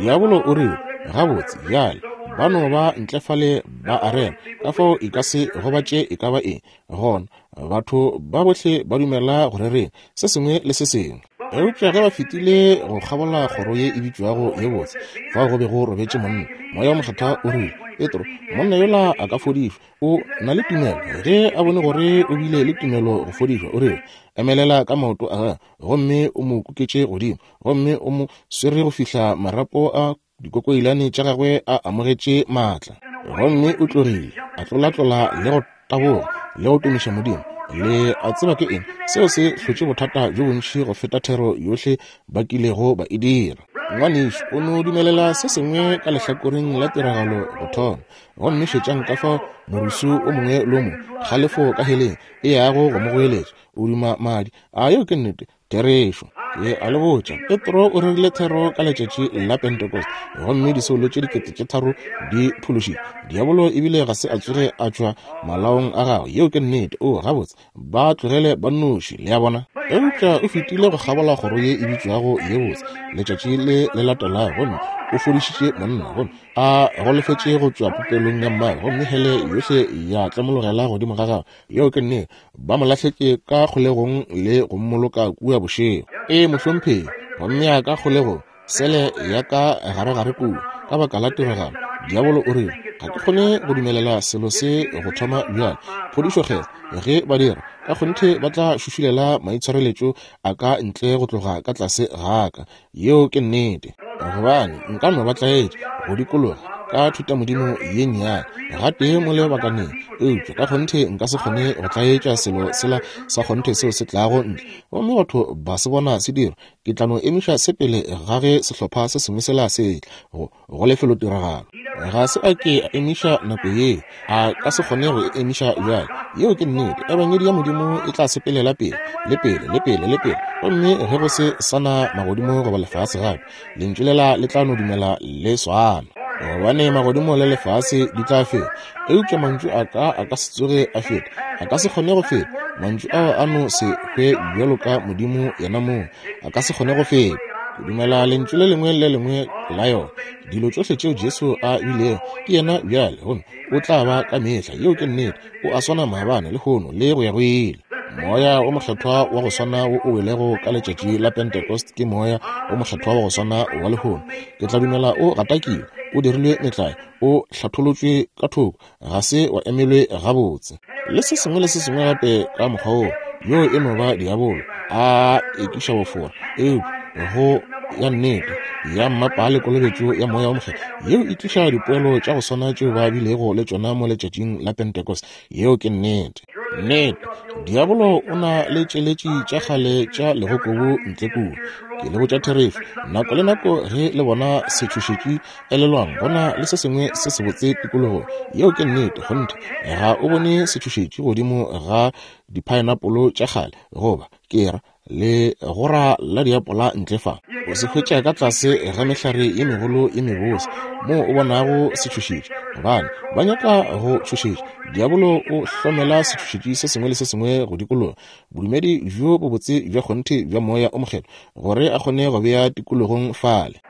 diabolo o rile, gabotse bjale ba no ba ntle fale ba a rera, ka fao e ka se gobatše e ka ba eng. Gona batho ba bohle ba dumela go rereng se sengwe le se sengwe. Eupša ge ba fetile go kgabola kgoro ye e bitšwago ye botse, fao go be go robetše monna. Moya wa Mokgethwa o rile, Petro, monna yola a ka fodišwa, o na le tumelo. Ge a bone gore o bile le tumelo go fodišwa, o rile, emelela ka maoto a gagwe, gomme o mo kuketše godimo, gomme o mo swere go fihla marapo a dikokoilane tša gagwe a amogetše maatla. Gomme o tlogile, a tlolatlola le go taboga le go tumiša Modimo. Le a tseba ke eng? Seo se hlotše bothata bjo bontši go feta thero yohle ba kilego ba e dira. Ngwanešu o no dumelela se sengwe ka lehlakoreng la tiragalo go thoma, gomme šetšang ka fao morusu o mongwe le o mongwe, kgalefo ka heleng e yago go mo goeletša, o duma madi. A yeo ke nnete? Therešo. Ke a le botša, Petro o rerile thero ka letšatši la Pentecost, gomme disoulo tše dikete tše tharo di phološitšwe. Diabolo ebile ga se a tsoge a tšwa malaong a gagwe. Yeo ke nnete. O gabotse, ba tlogele ba nnoši, le a bona. Eupša o fetile go kgabola kgoro ye e bitšwago ye botse letšatši le le latelago, gomme o fodišitše monna, gomme a golofetše go tšwa popelong ya mmagwe, gomme hele yohle ya tlemologela godimo ga gagwe. Yeo ke nnete. Ba mo lahletše ka kgolegong le go mmoloka kua bošego. Ee, mohlomphegi, gomme ya ka kgolegong, sele ya ka garegare kua, ka baka la tiragalo. Diabolo o rile, ga ke kgone go dumelela selo se go thoma bjale. Phodišo kgetho, ge ba dira, ka kgonthe ba tla šušulela maitshwareletšo a ka ntle go tloga ka tlase ga ka. Yeo ke nnete. Gobane nka no ba tlaetša go dikologa ka thutamodimo ye nnyane gatee mo lebakaneng, eupša ka kgonthe nka se kgone go tlaetša selo sela sa kgonthe seo se tlago ntle, gomme batho ba se bona se dirwa. Ke tla no emiša se pele ga ge sehlopha se sengwe sela se tla go go lefelotiragalo. Ga se a ke a emiša nako ye, a ka se kgone go e emiša bjale. Yeo ke nnete. Ebangedi ya Modimo e tla sepelela pele le pele le pele le pele, gomme ge go se sana magodimo goba lefase gape, lentšu lela le tla no dumela le swana. Gobane magodimo le lefase di tla feta, eupša mantšu a ka a ka se tsoge a feta, a ka se kgone go feta. Mantšu ao a no se hwe bjalo ka Modimo yena mong, a ka se kgone go feta. Ke dumela lentšu le lengwe le lengwe la yona. Dilo tšohle tšeo Jesu a bilego ke yena bjale, gomme o tla ba ka mehla. Yeo ke nnete. O a swana maabane, lehono le go ya go ile. Moya o mokgethwa wa go swana wo o welego ka letšatši la Pentecost ke moya o mokgethwa wa go swana wa lehono. Ke tla dumela o gatakiwe, o dirilwe metlae, o hlatholotšwe ka thoko, ga se wa emelwe gabotse, le se sengwe le se sengwe gape ka mokgwa woo. Yo e no ba diabolo a ekiša bofora. Eupša go ya nnete ya mmapale kolobetšo ya Moya wo Mokgethwa yeo e tliša dipoelo tša go swana tšeo ba bilego le tšona mo letšatšing la Pentecost. Yeo ke nnete. Nnete, diabolo o na le tšeletši tša kgale tša legokobu ntle kua. Ke le botša therešo, nako le nako ge le bona setšhošetši, elelwang go na le se sengwe se sebotse tikologong. Yeo ke nnete. Kgonthe, ga o bone setšhošetši godimo ga diphaenapolo tša kgale, goba ke ra le gora la diapola ntle fa. O se hwetša ka tlase ga mehlare ye megolo ye mebose moo o bonago setšhošetši, gobane ba nyaka go tšhošetša. Diabolo o hlomela setšhošetši se sengwe le se sengwe go dikologa bodumedi bjo bobotse bja kgonthe bja Moya o Mokgethwa gore a kgone go bea tikologong fale.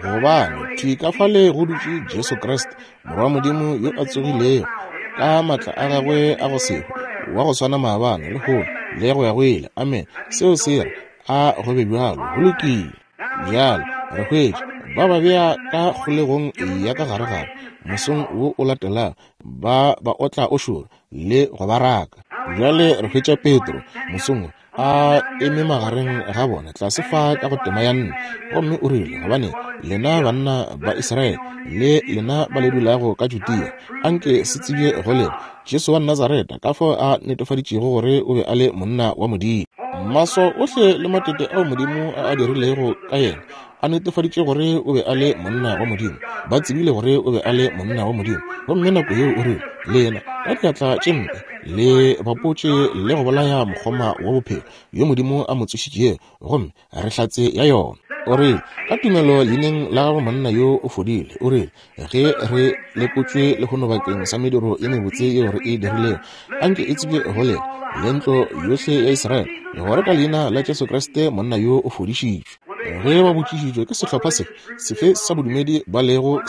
Gobane thwi ka fale go dutše Jesu Kriste, Morwa wa Modimo yo a tsogilego ka maatla a gagwe a go se hwe, wa go swana maabane, lehono le go ya go ile. Amen. Seo se re a go be bjalo. Go lokile. Bjalo re hwetša ba ba bea ka kgolegong ya ka garegare mosong wo o latelago, ba ba otla o šoro le go ba raka. Bjale re hwetša Petro mosong wo a eme magareng ga bona tlase fa ka go tema ya nne, gomme o rile, gobane lena banna ba Israele le lena ba le dulago ka Judea, anke se tsebje go lena Jesu wa Nazareta, ka fao a netefaditšego gore o be a le monna wa Modimo. Maswao ohle le matete ao Modimo a a dirilego ka yena a netefaditše gore o be a le monna wa Modimo. Ba tsebile gore o be a le monna wa Modimo. Gomme nako yeo o rile, lena ka diatla tše mpe le bapotše le go bolaya mokgoma wa bophelo yo Modimo a mo tsošitšego, gomme re hlatse ya yona. O rile, ka tumelo leineng la gagwe monna yo o fodile. O rile, ge re lekotšwe lehono bakeng sa mediro ye mebotse yeo re e dirilego, anke e tsebje go lena le ntlo yohle ya Israele gore ka leina la Jesu Kriste monna yo o fodišitšwe. Ge ba botšišitšwe ke sehlopha sefe sefe sa bodumedi ba lego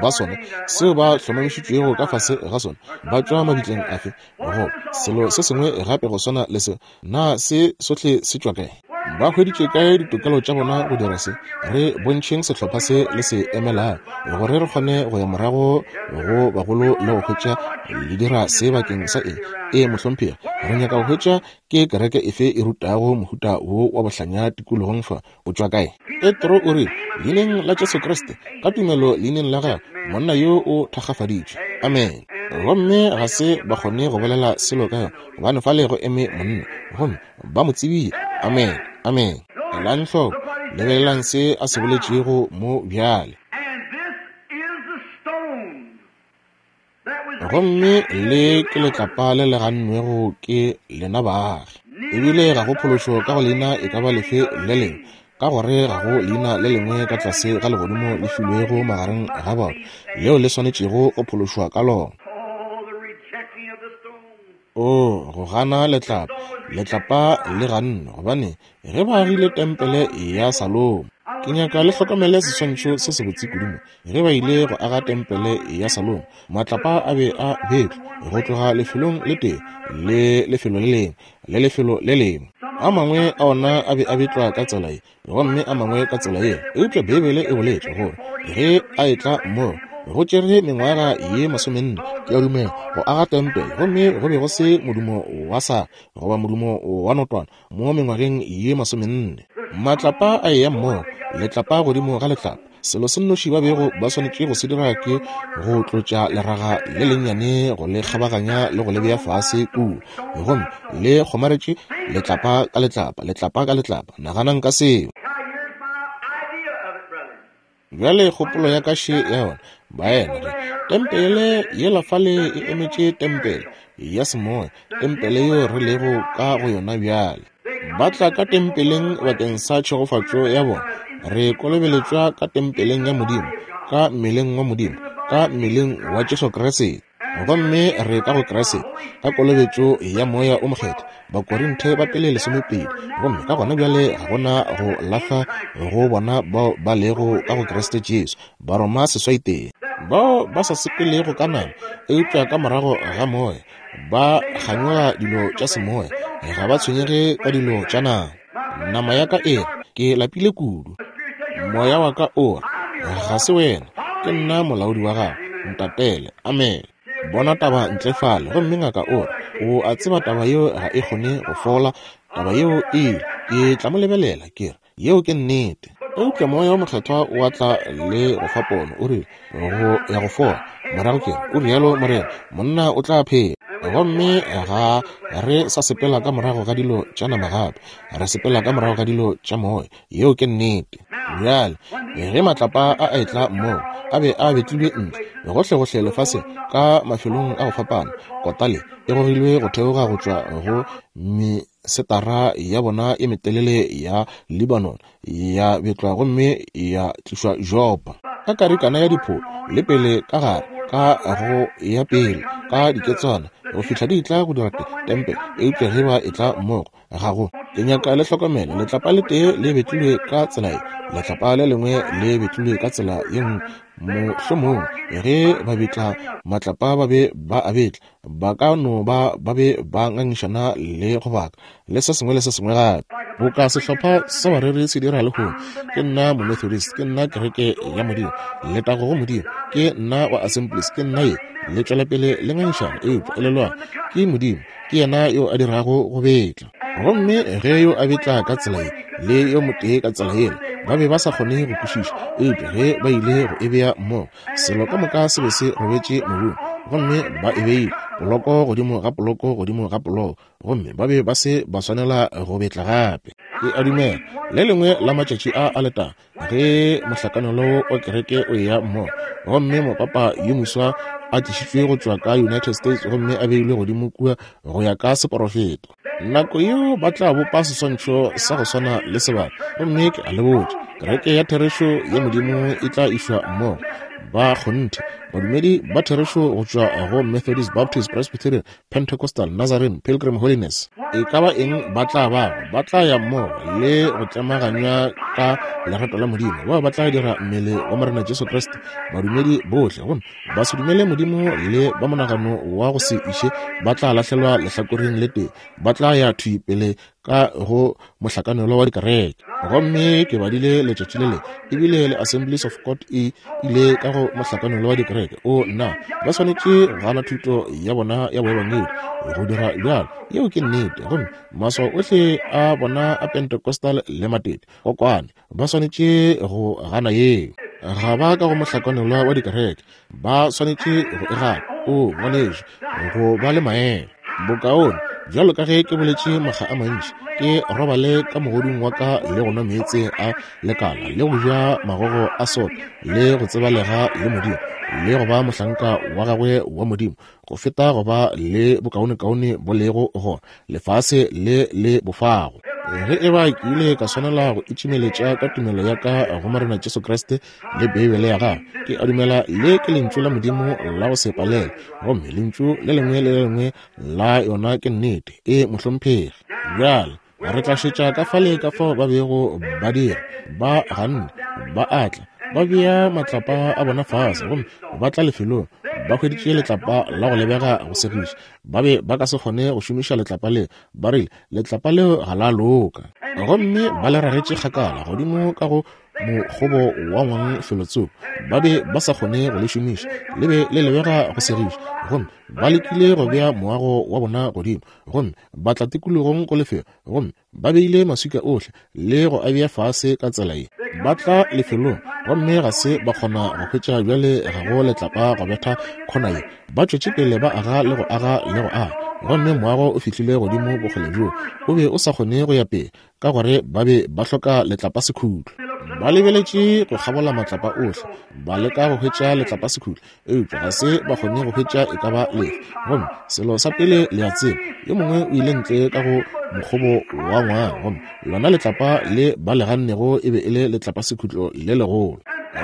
ba sona seo ba hlomamišitšwego ka fase ga sona, ba tšwa mabitleng afe, goba selo se sengwe gape go swana le se, na se sohle se tšwa kae? Ba hweditše kae ditokelo tša bona go dira se? Re bontšheng sehlopha se le se emelago gore re kgone go ya morago go bagolo le go hwetša le dira se bakeng sa eng. Ee, mohlomphegi, re nyaka go hwetša ke kereke efe e rutago mohuta wo wa bohlanya tikologong fa. O tšwa kae? Petro o rile, leineng la Jesu Kriste, ka tumelo leineng la gagwe, monna yo o thakgafaditšwe. Amen. Gomme ga se ba kgone go bolela selo ka yona, gobane fale go eme monna, gomme ba mo tsebile. Amen. Amen. Elang hloko, lebelelang se a se boletšego mo bjale. Gomme le ke letlapa le le gannwego ke lena baagi, ebile ga go phološo ka go leina e ka ba lefe le lengwe, ka gore ga go leina le lengwe ka tlase ga legodimo le filwego magareng ga batho leo le swanetšego go phološwa ka lona. O go gana letlapa, letlapa le gannwe, gobane ge ba agile tempele ya Salomo. Ke nyaka le hlokomele seswantšho se sebotse kudu mo. Ge ba ile go aga tempele ya Salomo, matlapa a be a betlwa go tloga lefelong le tee le lefelo le lengwe le lefelo le lengwe. A mangwe a ona a be a betlwa ka tsela ye, gomme a mangwe ka tsela ye. Eupša Beibele e boletše gore ge a etla moo go tšere mengwaga ye masomenne, ke a dumela, go aga tempele, gomme go be go se modumo wa sa goba modumo wa notwana mo mengwageng ye masomenne. Matlapa a eya mmogo, letlapa godimo ga letlapa. Selo se nnoši ba bego ba swanetše go se dira ke go tlotša leraga le lennyane go le kgabaganya le go le bea fase kua, gomme le kgomaretše letlapa ka letlapa, letlapa ka letlapa. Naganang ka seo. Bjale kgopolo ya ka še ya yona, baena, re tempele yela fale e emetše tempele ya semoya, tempele yeo re lego ka go yona bjale. Ba tla ka tempeleng bakeng sa tšhegofatšo ya bona. Re kolobeletšwa ka tempeleng ya Modimo, ka mmeleng wa Modimo, ka mmeleng wa Jesu Kriste. Gomme re ka go Kriste ka kolobetšo ya Moya o Mokgethwa, Bakorinthe ba pele lesomepedi. Gomme ka gona bjale ga gona go lahla go bona bao ba lego ka go Kriste Jesu, Baroma seswai tee, bao ba sa sepelego ka nama eupša ka morago ga moya, ba kganyoga dilo tša semoya, ga ba tshwenyege ka dilo tša nama. Nama ya ka e re, ke lapile kudu. Moya wa ka o re, ga se wena, ke nna molaodi wa gago, ntatele. Amen. Bona taba ntle fale, gomme ngaka o re, O a tseba taba yeo ga e kgone go fola, taba yeo e ile. Ke tla mo lebelela, ke re, yeo ke nnete. Eupša Moya wo Mokgethwa o a tla le go fa pono, o rile, go ya go fola. Morago ke re, o rialo Morena, monna o tla phela. Gomme ga re sa sepela ka morago ga dilo tša nama gape, re sepela ka morago ga dilo tša moya. Yeo ke nnete. Bjale, ge matlapa a a etla mmogo, a be a betlilwe ntle gohlegohle lefaseng ka mafelong a go fapana. Kota le e gogilwe go theoga go tšwa go mesetara ya bona e metelele ya Lebanon, ya betlwa gomme ya tlišwa Jopa. Ka karikana ya dipholo le pele ka gare, ka go ya pele ka diketswana go fihla di tla go dira tempele. Eupša ge ba etla mmogo, ga go. Ke nyaka le hlokomele, letlapa le tee le betlilwe ka tsela ye, letlapa le lengwe le betlilwe ka tsela ye nngwe. Mohlomongwe ge ba betla matlapa ba be ba a betla, ba ka no ba ba be ba ngangišana le go baka le se sengwe le se sengwe gape. Boka sehlopha sa bareri se dira lehono. Ke nna Momethodist, ke nna kereke ya Modimo, letago go Modimo, ke nna wa Assemblies, ke nna ye. Le tšwela pele le ngangišana, eupša elelwang, ke Modimo, ke yena yo a dirago go betla. Gomme ge yo a betla ka tsela ye le yo motee ka tsela yela, ba be ba sa kgone go kwešiša. Eupša ge ba ile go e bea mmogo, selo ka moka se be se robetše mobung, gomme ba e beile poloko godimo ga poloko godimo ga poloko, gomme ba be ba se ba swanela go betla gape. Ke a dumela le lengwe la matšatši a a letago, ge mohlakanelo wa kereke o eya mmogo, gomme mopapa yo moswa a tlišitšwe go tšwa ka United States gomme a beilwe godimo kua go ya ka seporofeto, nako yeo ba tla bopa seswantšho sa go swana le sebaka. Gomme ke a le botša, kereke ya therešo ya Modimo e tla išwa mmogo. Ba kgonthe, badumedi ba therešo go tšwa go Methodist, Baptist, Presbyterian, Pentecostal, Nazarene, Pilgrim Holiness, e ka ba eng ba tla bago, ba tla ya mmogo le go tlemaganywa ka lerato la Modimo. Bao ba tla dira mmele wa Morena Jesu Kriste, badumedi bohle. Gomme ba se dumele Modimo le ba monagano wa go se iše ba tla lahlelwa lehlakoreng le tee, ba tla ya thwi pele ka go mohlakanelo wa dikereke. Gomme ke badile letšatši le le, ebile le Assemblies of God e ile ka go mohlakanelo wa dikereke. O nna, ba swanetše go gana thuto ya bona ya boebangedi go dira bjalo. Yeo ke nnete. Gomme maswao ohle a bona a Pentecostal le matete kokwane, ba swanetše go gana yeo. Ga ba ka go mohlakanelwa wa dikereke, ba swanetše go e gana. O ngwanešu, go ba le maemo bokaone. Bjalo ka ge ke boletše makga a mantši, ke robale ka mogodung wa ka le go nwa meetse a lekala le go ja magogo a soka le go tsebalega le Modimo le go ba mohlanka wa gagwe wa Modimo, go feta go ba le bokaonekaone bo lego gona lefase le le bofago. Ge e ba ke ile ka swanela go itšimeletša ka tumelo ya ka go Morena Jesu Kriste le Beibele ya gagwe, ke a dumela le ke lentšu la Modimo la go se palele, gomme lentšu le lengwe le le lengwe la yona ke nnete. E mohlomphegi. Bjale re tla šetša ka fale ka fao ba bego ba dira. Ba ganne, ba atla, ba bea matlapa a bona fase, gomme ba tla lefelong ba hweditše letlapa la go lebega go segiša. Ba be ba ka se kgone go šomiša letlapa leo. Ba rile letlapa leo ga la loka, gomme ba le ragetše kgakala godimo ka go mokgobo wa ngwang felotsoko. Ba be ba sa kgone go le šomiša, le be le lebega go segiša. Gomme ba lekile go bea moago wa bona godimo, gomme ba tla tikologong go lefelo, gomme ba beile maswika ohle le go a bea fase ka tsela ye. Ba tla lefelong gomme ga se ba kgona go hwetša bjale ga go letlapa go betha khona ye. Ba tšwetše pele ba aga le go aga le go aga, gomme moago o fihlile godimo bokgole bjoo o be o sa kgone go ya pele, ka gore ba be ba hloka letlapa sekhutlo. Ba lebeletše go kgabola matlapa ohle, ba leka go hwetša letlapa sekhutlo, eupša ga se ba kgone go hwetša e ka ba lefe. Gomme selo sa pele le a tseba, yo mongwe o ile ntle ka go mokgobo wa ngwang, gomme lona letlapa le ba le gannego e be e le letlapa sekhutlo le legolo.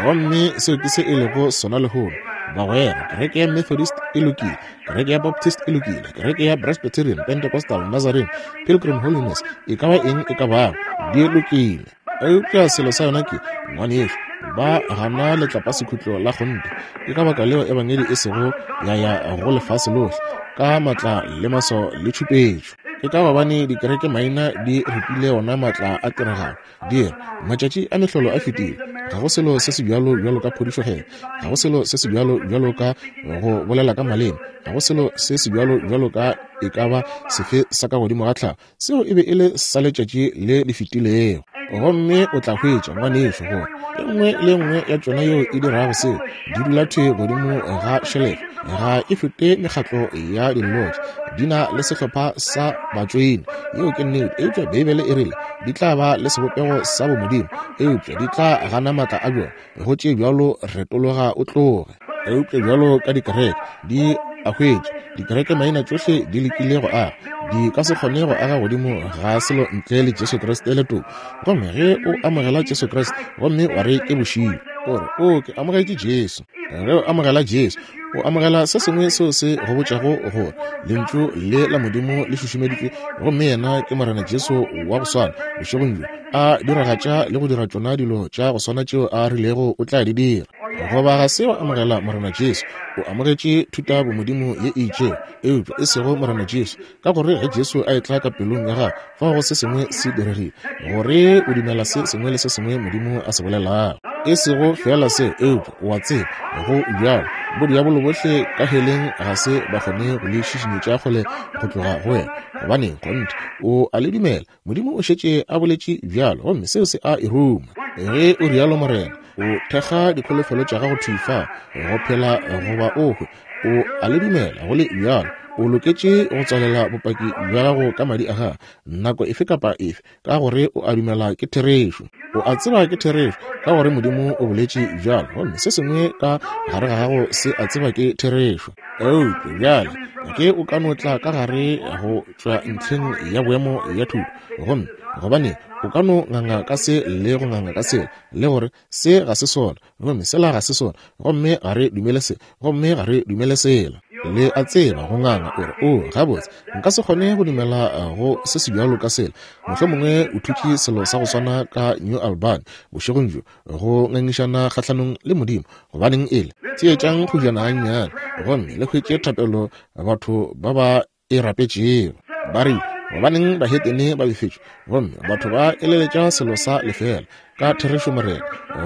Gomme seo ke se e lego sona lehono. Bagwera, kereke ya Methodist e lokile, kereke ya Baptist e lokile, kereke ya Presbyterian, Pentecostal, Nazarene, Pilgrim Holiness, e ka ba eng e ka bago, di lokile. Eupša selo sa yona ke, ngwanešu, ba gana letlapa sekhutlo la kgonthe. Ke ka baka leo ebangedi e sego ya ya go lefase lohle ka matla le maswao le tšhupetšo. Ke ka gobane dikereke maina di ripile ona maatla a tiragalo. Di re, matšatši a mehlolo a fetile. Ga go selo se se bjalo bjalo ka phodišo kgethwa. Ga go selo se se bjalo bjalo ka go bolela ka maleme. Ga go selo se se bjalo bjalo ka e ka ba sefe sa ka godimo ga tlhago. Seo e be e le sa letšatši le le fetilego. Gomme o tla hwetša, ngwanešu, gore e nngwe le nngwe ya tšona yeo e dirago seo di dula thwe godimo ga šelefe, ga e fete mekgatlo ya dillotše, di na le sehlopha sa batšoini. Yeo ke nnete. Eupša Beibele e rile di tla ba le sebopego sa bomodimo, eupša di tla gana maatla a bjona. Go tše bjalo retologa o tloge. Eupša bjalo ka dikereke di a hwetša, dikereke maina tšohle di lekile go aga, di ka se kgone go aga godimo ga selo ntle le Jesu Kriste le toko. Gomme ge o amogela Jesu Kriste gomme wa re ke bošilo, o re, o ke amogetše Jesu. Ge o amogela Jesu, o amogela se sengwe seo se go botšago gore lentšu le la Modimo le šušumeditšwe, gomme yena ke Morena Jesu wa go swana bošegong bjo, a diragatša le go dira tšona dilo tša go swana tšeo a rilego o tla di dira. Goba ga se wa amogela Morena Jesu, o amogetše thuta bomodimo ye e itšego, eupša e sego Morena Jesu. Ka gore ge Jesu a etla ka pelong ya gago, fao go se sengwe se diregile, gore o dumela se sengwe le se sengwe Modimo a se bolelago. E sego fela se, eupša o a tseba go bjalo. Bodiabolo bohle ka heleng ga se ba kgone go le šišinyetša kgole go tloga go wena, gobane kgonthe o a le dumela. Modimo o šetše a boletše bjalo, gomme seo se a e ruma. Ge o rialo Morena, o thekga dikholofelo tša gago thwi fa, go phela goba o hwe. O a le dumela go le bjalo. O loketše go tswalela bopaki bja gago ka madi a gago nako efe kapa efe, ka gore o a dumela ke therešo. O a tseba ke therešo, ka gore Modimo o boletše bjalo, gomme se sengwe ka gare ga gago se a tseba ke therešo. Eupša bjale ge o ka no tla ka gare go tšwa ntlheng ya boemo ya thuto, gomme gobane o ka no nganga ka se le go nganga ka sela, le gore se ga se sona, gomme sela ga se sona, gomme ga re dumele se, gomme ga re dumele sela. Le a tseba go nganga o re, o gabotse nka se kgone go dumela go se se bjalo ka sela. Mohlomongwe o thutše selo sa go swana ka New Albany bošegong bjo, go ngangišana kgahlanong le Modimo. Gobaneng ele theetšang kgojana gannyane, gomme le hwetše thapelo batho ba ba e rapetšego. Ba rile, gobaneng bahetene ba befetšwe, gomme batho ba eleletša selo sa lefela. Ka therešo Morena,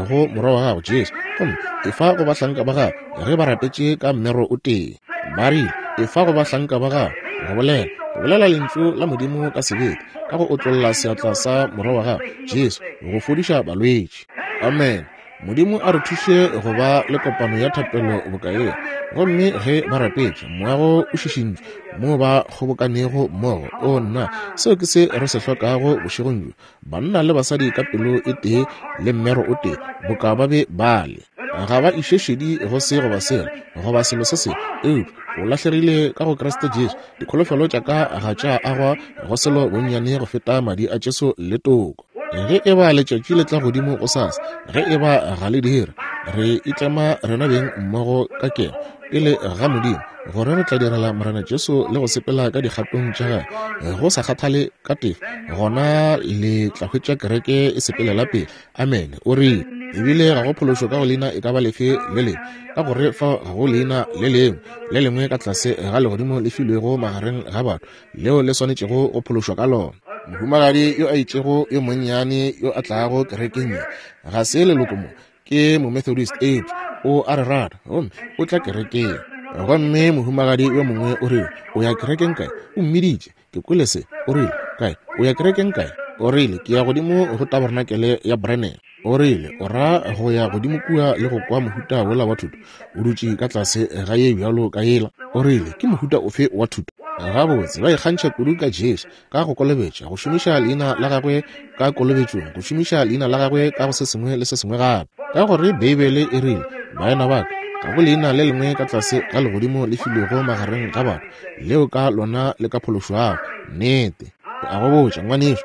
go morwa wa gago Jesu, gomme efa go bahlanka ba gago ge ba rapetše ka mmero o tee. Ba rile, efa go bahlanka ba gago go bolela, go bolela lentšu la Modimo ka sebete, ka go otlolla seatla sa morwa wa gago Jesu go fodiša balwetši. Amen. Modimo a re thuše go ba le kopano ya thapelo boka ye. Gomme ge ba rapetše, moago o šišintšwe moo ba kgobokanego mmogo. O nna, seo ke se re se hlokago bošegong bjo, banna le basadi ka pelo e tee le mmero o tee, boka ba be bale. Ga ba iše šedi go se goba sela goba selo se sengwe, eupša o lahlegile ka go Kriste Jesu. Dikholofelo tša ka ga tša agwa go selo bonnyane go feta madi a Jesu le toko. Ge e ba letšatši le tla godimo go sasa, ge e ba ga le dire, re itlema rena beng mmogo ka keno pele ga Modimo, gore re tla direla Morena Jesu le go sepela ka dikgatong tša gagwe go sa kgathale ka tefo, gona le tla hwetša kereke e sepelela pele. Amen. O rile, ebile ga go phološo ka go leina e ka ba lefe le lengwe, ka gore fa ga go leina le lengwe le lengwe ka tlase ga legodimo le filwego magareng ga batho leo le swanetšego go phološwa ka lona. Mohumagadi yo a itšego yo monnyane yo a tlago kerekeng ye ga se leloko mo, ke Momethodist, eupša o a re rata gomme o tla kerekeng. Gomme mohumagadi yo mongwe o rile, o ya kerekeng kae? O mmiditše, ke kwele se. O rile, kae? O ya kerekeng kae? O rile, ke ya godimo go tabernacle ya Branham. O rile, o ra go ya godimo kua le go kwa mohuta wola wa thuto? O dutše ka tlase ga ye bjalo ka yela. O rile, ke mohuta ofe wa thuto? Gabotse ba ikgantšha kudu ka Jesu, ka go kolobetša, go šomiša leina la gagwe ka kolobetšong, go šomiša leina la gagwe ka go se sengwe le se sengwe gape. Ka gore Beibele e rile, baena ba ka, ga go leina le lengwe ka tlase ga legodimo le filwego magareng ga batho leo ka lona le ka phološwago. Nnete. A go botša, ngwanešu,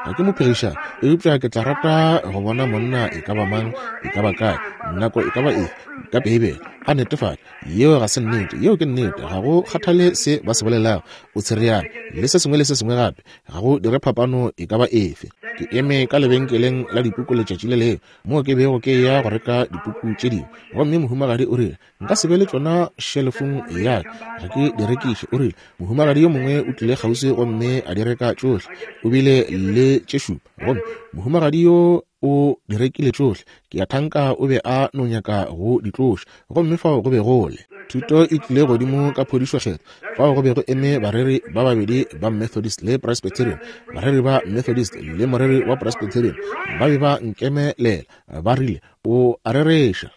ga ke mo phegišane, eupša ke tla rata go bona monna e ka ba mang, e ka ba kae, nako e ka ba efe, ka Beibele a netefatša yeo ga se nnete, yeo ke nnete. Ga go kgathale se ba se bolelago, o tshereane le se sengwe le se sengwe gape, ga go dire phapano e ka ba efe. Ke eme ka lebenkeleng la dipuku letšatši le lengwe, moo ke bego ke ya go reka dipuku tše dingwe. Gomme mohumagadi o rile, nka se be le tšona šelefong ya ka, ga ke di rekiše. O rile, mohumagadi yo mongwe o tlile kgauswi gomme a di reka tšohle. O bile le tše šupa, gomme mohumagadi yo o di rekile tšohle. Ke a thanka o be a no nyaka go di tloša. Gomme fao go be go le thuto e tlile godimo ka phodišo kgetho. Fao go be go eme bareri ba babedi ba Methodist le Presbyterian, bareri ba Methodist le moreri wa Presbyterian, ba be ba nkemelela, ba rile, o a rereša.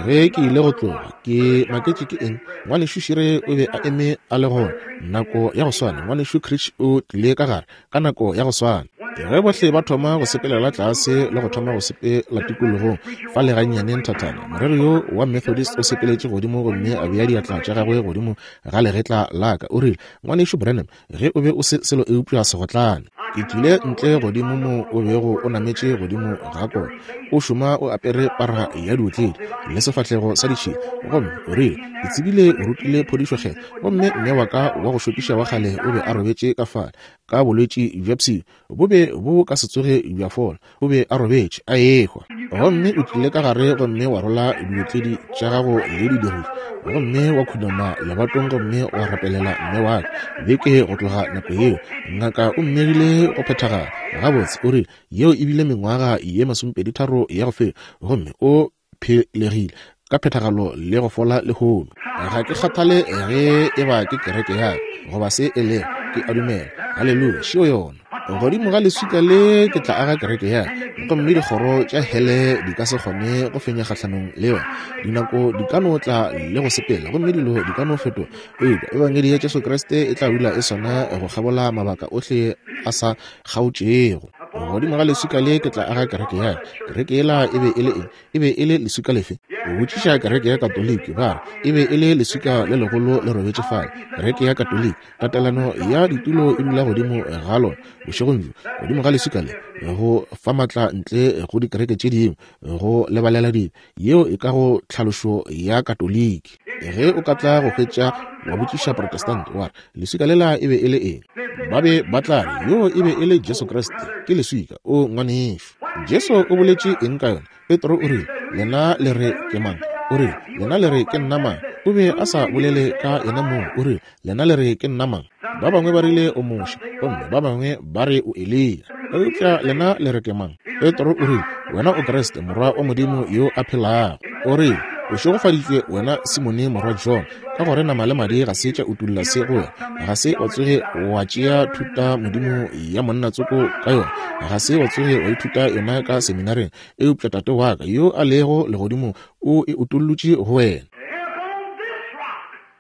Ge ke ile go tloga, ke maketše ke eng? Ngwanešu Shire o be a eme a le gona nako ya go swana. Ngwanešu Critch o tlile ka gare ka nako ya go swana. Ge bohle ba thoma go sepelela tlase le go thoma go sepela tikologong fa le gannyane nthathana, moreri yo wa Methodist o sepeletše godimo gomme a bea diatla tša gagwe godimo ga legetla la ka. O rile, Ngwanešu Branham, ge o be o se selo eupša segotlane. Ke tlile ntle godimo mo o bego o nametše godimo ga kona, o šoma o apere para ya diotledi le sefahlego sa ditšhila. Gomme o rile, ke tsebile o rutile phodišo kgetho, gomme mme wa ka wa go šokiša wa kgale o be a robetše ka fale ka bolwetši bja pshio, bo be bo ka se tsoge bja fola, o be a robetše a ehwa. Gomme o tlile ka gare gomme wa rola diotledi tša gago le di dirile, gomme wa khunama lebatong gomme wa rapelela mme wa ka. Beke go tloga nako yeo, ngaka o mmegile go phethagala gabotse. O rile, yeo e bile mengwaga ye masomepedi tharo ya go feta, gomme o phelegile ka phethagalo le go fola lehono. Ga ke kgathale ge e ba ke kereke ya ka goba se e lego, ke a dumela. Haleluya, šeo yona. Godimo ga leswika le ke tla aga kereke ya ka, gomme dikgoro tša hele di ka se kgone go fenya kgahlanong le yona. Dinako di ka no tla le go sepela, gomme dilo di ka no fetoga, eupša ebangedi ya Jesu Kriste e tla dula e swana go kgabola mabaka ohle a sa kgaotšego. Godimo ga leswika le ke tla aga kereke ya ka. Kereke yela e be e le eng? E be e le leswika lefe? O botšiša kereke ya Katoliki, ba re e be e le leswika le legolo le robetše fale. Kereke ya Katoliki, tatelano ya ditulo e dula godimo ga lona bošegong bjo, godimo ga leswika le, go fa matla ntle go dikereke tše dingwe go lebalela dibe. Yeo e ka go tlhalošo ya Katoliki. Ge o ka tla go hwetša wa botšiša Protestant wa re, leswika lela e be e le eng? Ba be ba tla re, yo e be e le Jesu Kriste, ke leswika. O ngwanešu, Jesu o boletše eng ka yona? Petro o rile, lena le re ke mang? O rile, lena le re ke nna mang? O be a sa bolele ka yena mong. O rile, lena le re ke nna mang? Ba bangwe ba rile o Moshe, gomme ba bangwe ba re o Eliya, eupša lena le re ke mang? Petro o rile, wena o Kriste, morwa wa Modimo yo a phelago. O rile, o šegofaditšwe wena Simone morwa John, ka gore nama le madi ga se tša utulla se go wena, ga se wa tsoge wa tšea thuta modimo ya monna tsoko ka yona, ga se wa tsoge wa ithuta yona ka seminareng, eupša Tate wa ka yo a lego legodimong o e utollotše go wena.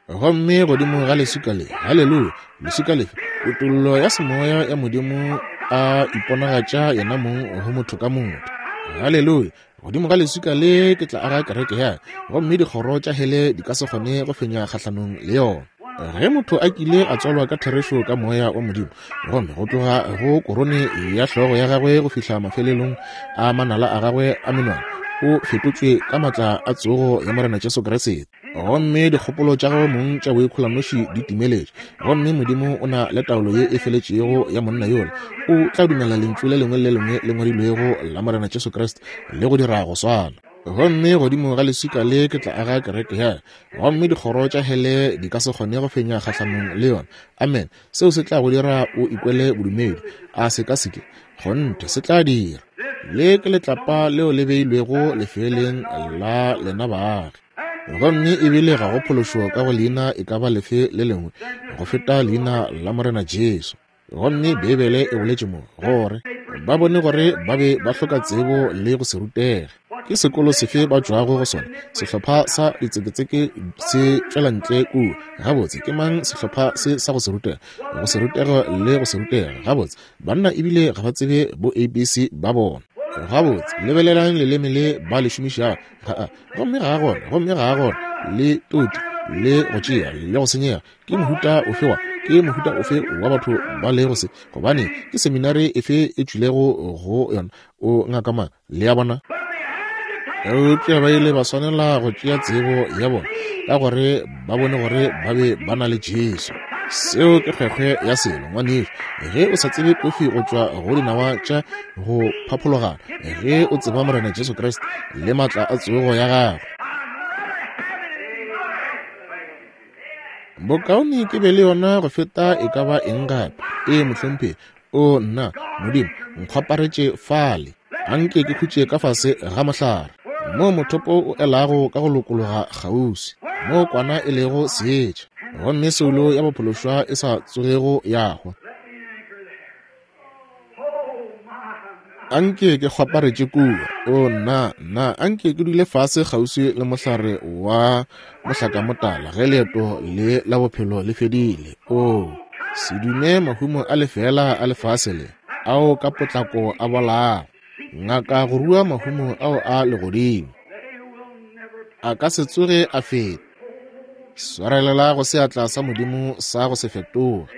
Gomme godimo ga leswika le, haleluya, leswika lefe? Kutollo ya semoya ya Modimo a iponagatša yena mong go motho ka motho. Haleluya. Godimo ga leswika le ke tla aga kereke ya ka, gomme dikgoro tša hele di ka se kgone go fenya kgahlanong le yona. Ge motho a kile a tswalwa ka therešo ka moya wa Modimo, gomme go tloga go korone ya hlogo ya gagwe go fihla mafelelong a manala a gagwe a menwana, o fetotšwe ka matla a tsogo ya Morena Jesu Kriste, gomme dikgopolo tša gagwe mong tša boikgolanoši di timeletše, gomme Modimo o na le taolo ye e feletšego ya monna yola, o tla dumela lentšu le lengwe le lengwe le ngwadilwego la Morena Jesu Kriste le go dira go swana. Gomme godimo ga leswika le ke tla aga kereke ya ka, gomme dikgoro tša hele di ka se kgone go fenya kgahlanong le yona. Amen. Seo se tla go dira o ikwele bodumedi. A se ka seke? Kgonthe se tla dira. Le ke letlapa leo le beilwego lefeleng la lena baagi, gomme ebile ga go phološo ka go leina e ka ba lefe le lengwe go feta leina la Morena Jesu. Gomme Beibele e boletše mo gore ba bone gore ba be ba hloka tsebo le go se rutege. Ke sekolo sefe ba tšwago go sona? Sehlopha sa ditseketseke se tšwela ntle kua. Gabotse, ke mang sehlopha se sa go se rutega? Go se rutega le go se rutega. Gabotse, banna ebile ga ba tsebe bo A B C ba bona. Gabotse, lebelelang leleme le ba le šomišago. Gomme ga gona, gomme ga gona le toti le go tšea le go senyega. Ke mohuta ofe wa ke mohuta ofe wa batho ba lego se? Gobane ke seminari efe e tšwilego go yona? O ngaka mang? Le a bona? Eupša ba ile ba swanela go tšea tsebo ya bona, ka gore ba bone gore ba be ba na le Jesu. Seo ke kgwekgwe ya selo, ngwanešu. Ge o sa tsebe kofi go tšwa go dinawa tša go phaphologana, ge o tseba Morena Jesu Kriste le maatla a tsogo ya gagwe. Bokaone ke be le yona go feta e ka ba eng gape. Ee, mohlomphegi. O nna, Modimo, nkgwaparetše fale. Anke ke khutše ka fase ga mohlare, moo mothopo o elago ka go lokologa kgauswi, moo kwana e lego seetša, gomme soulo ya bophološwa e sa tsogego ya hwa. Anke ke kgwaparetše kua. O nna, nna, anke ke dule fase kgauswi le mohlare wa mohlakamotala ge leeto le la bophelo le fedile. O se dume mahumo a lefela a lefase le, ao ka potlako a bolago. Ngaka go rua mahumo ao a legodimo, a ka se tsoge a feta. Swarelela go seatla sa Modimo sa go se fetoge.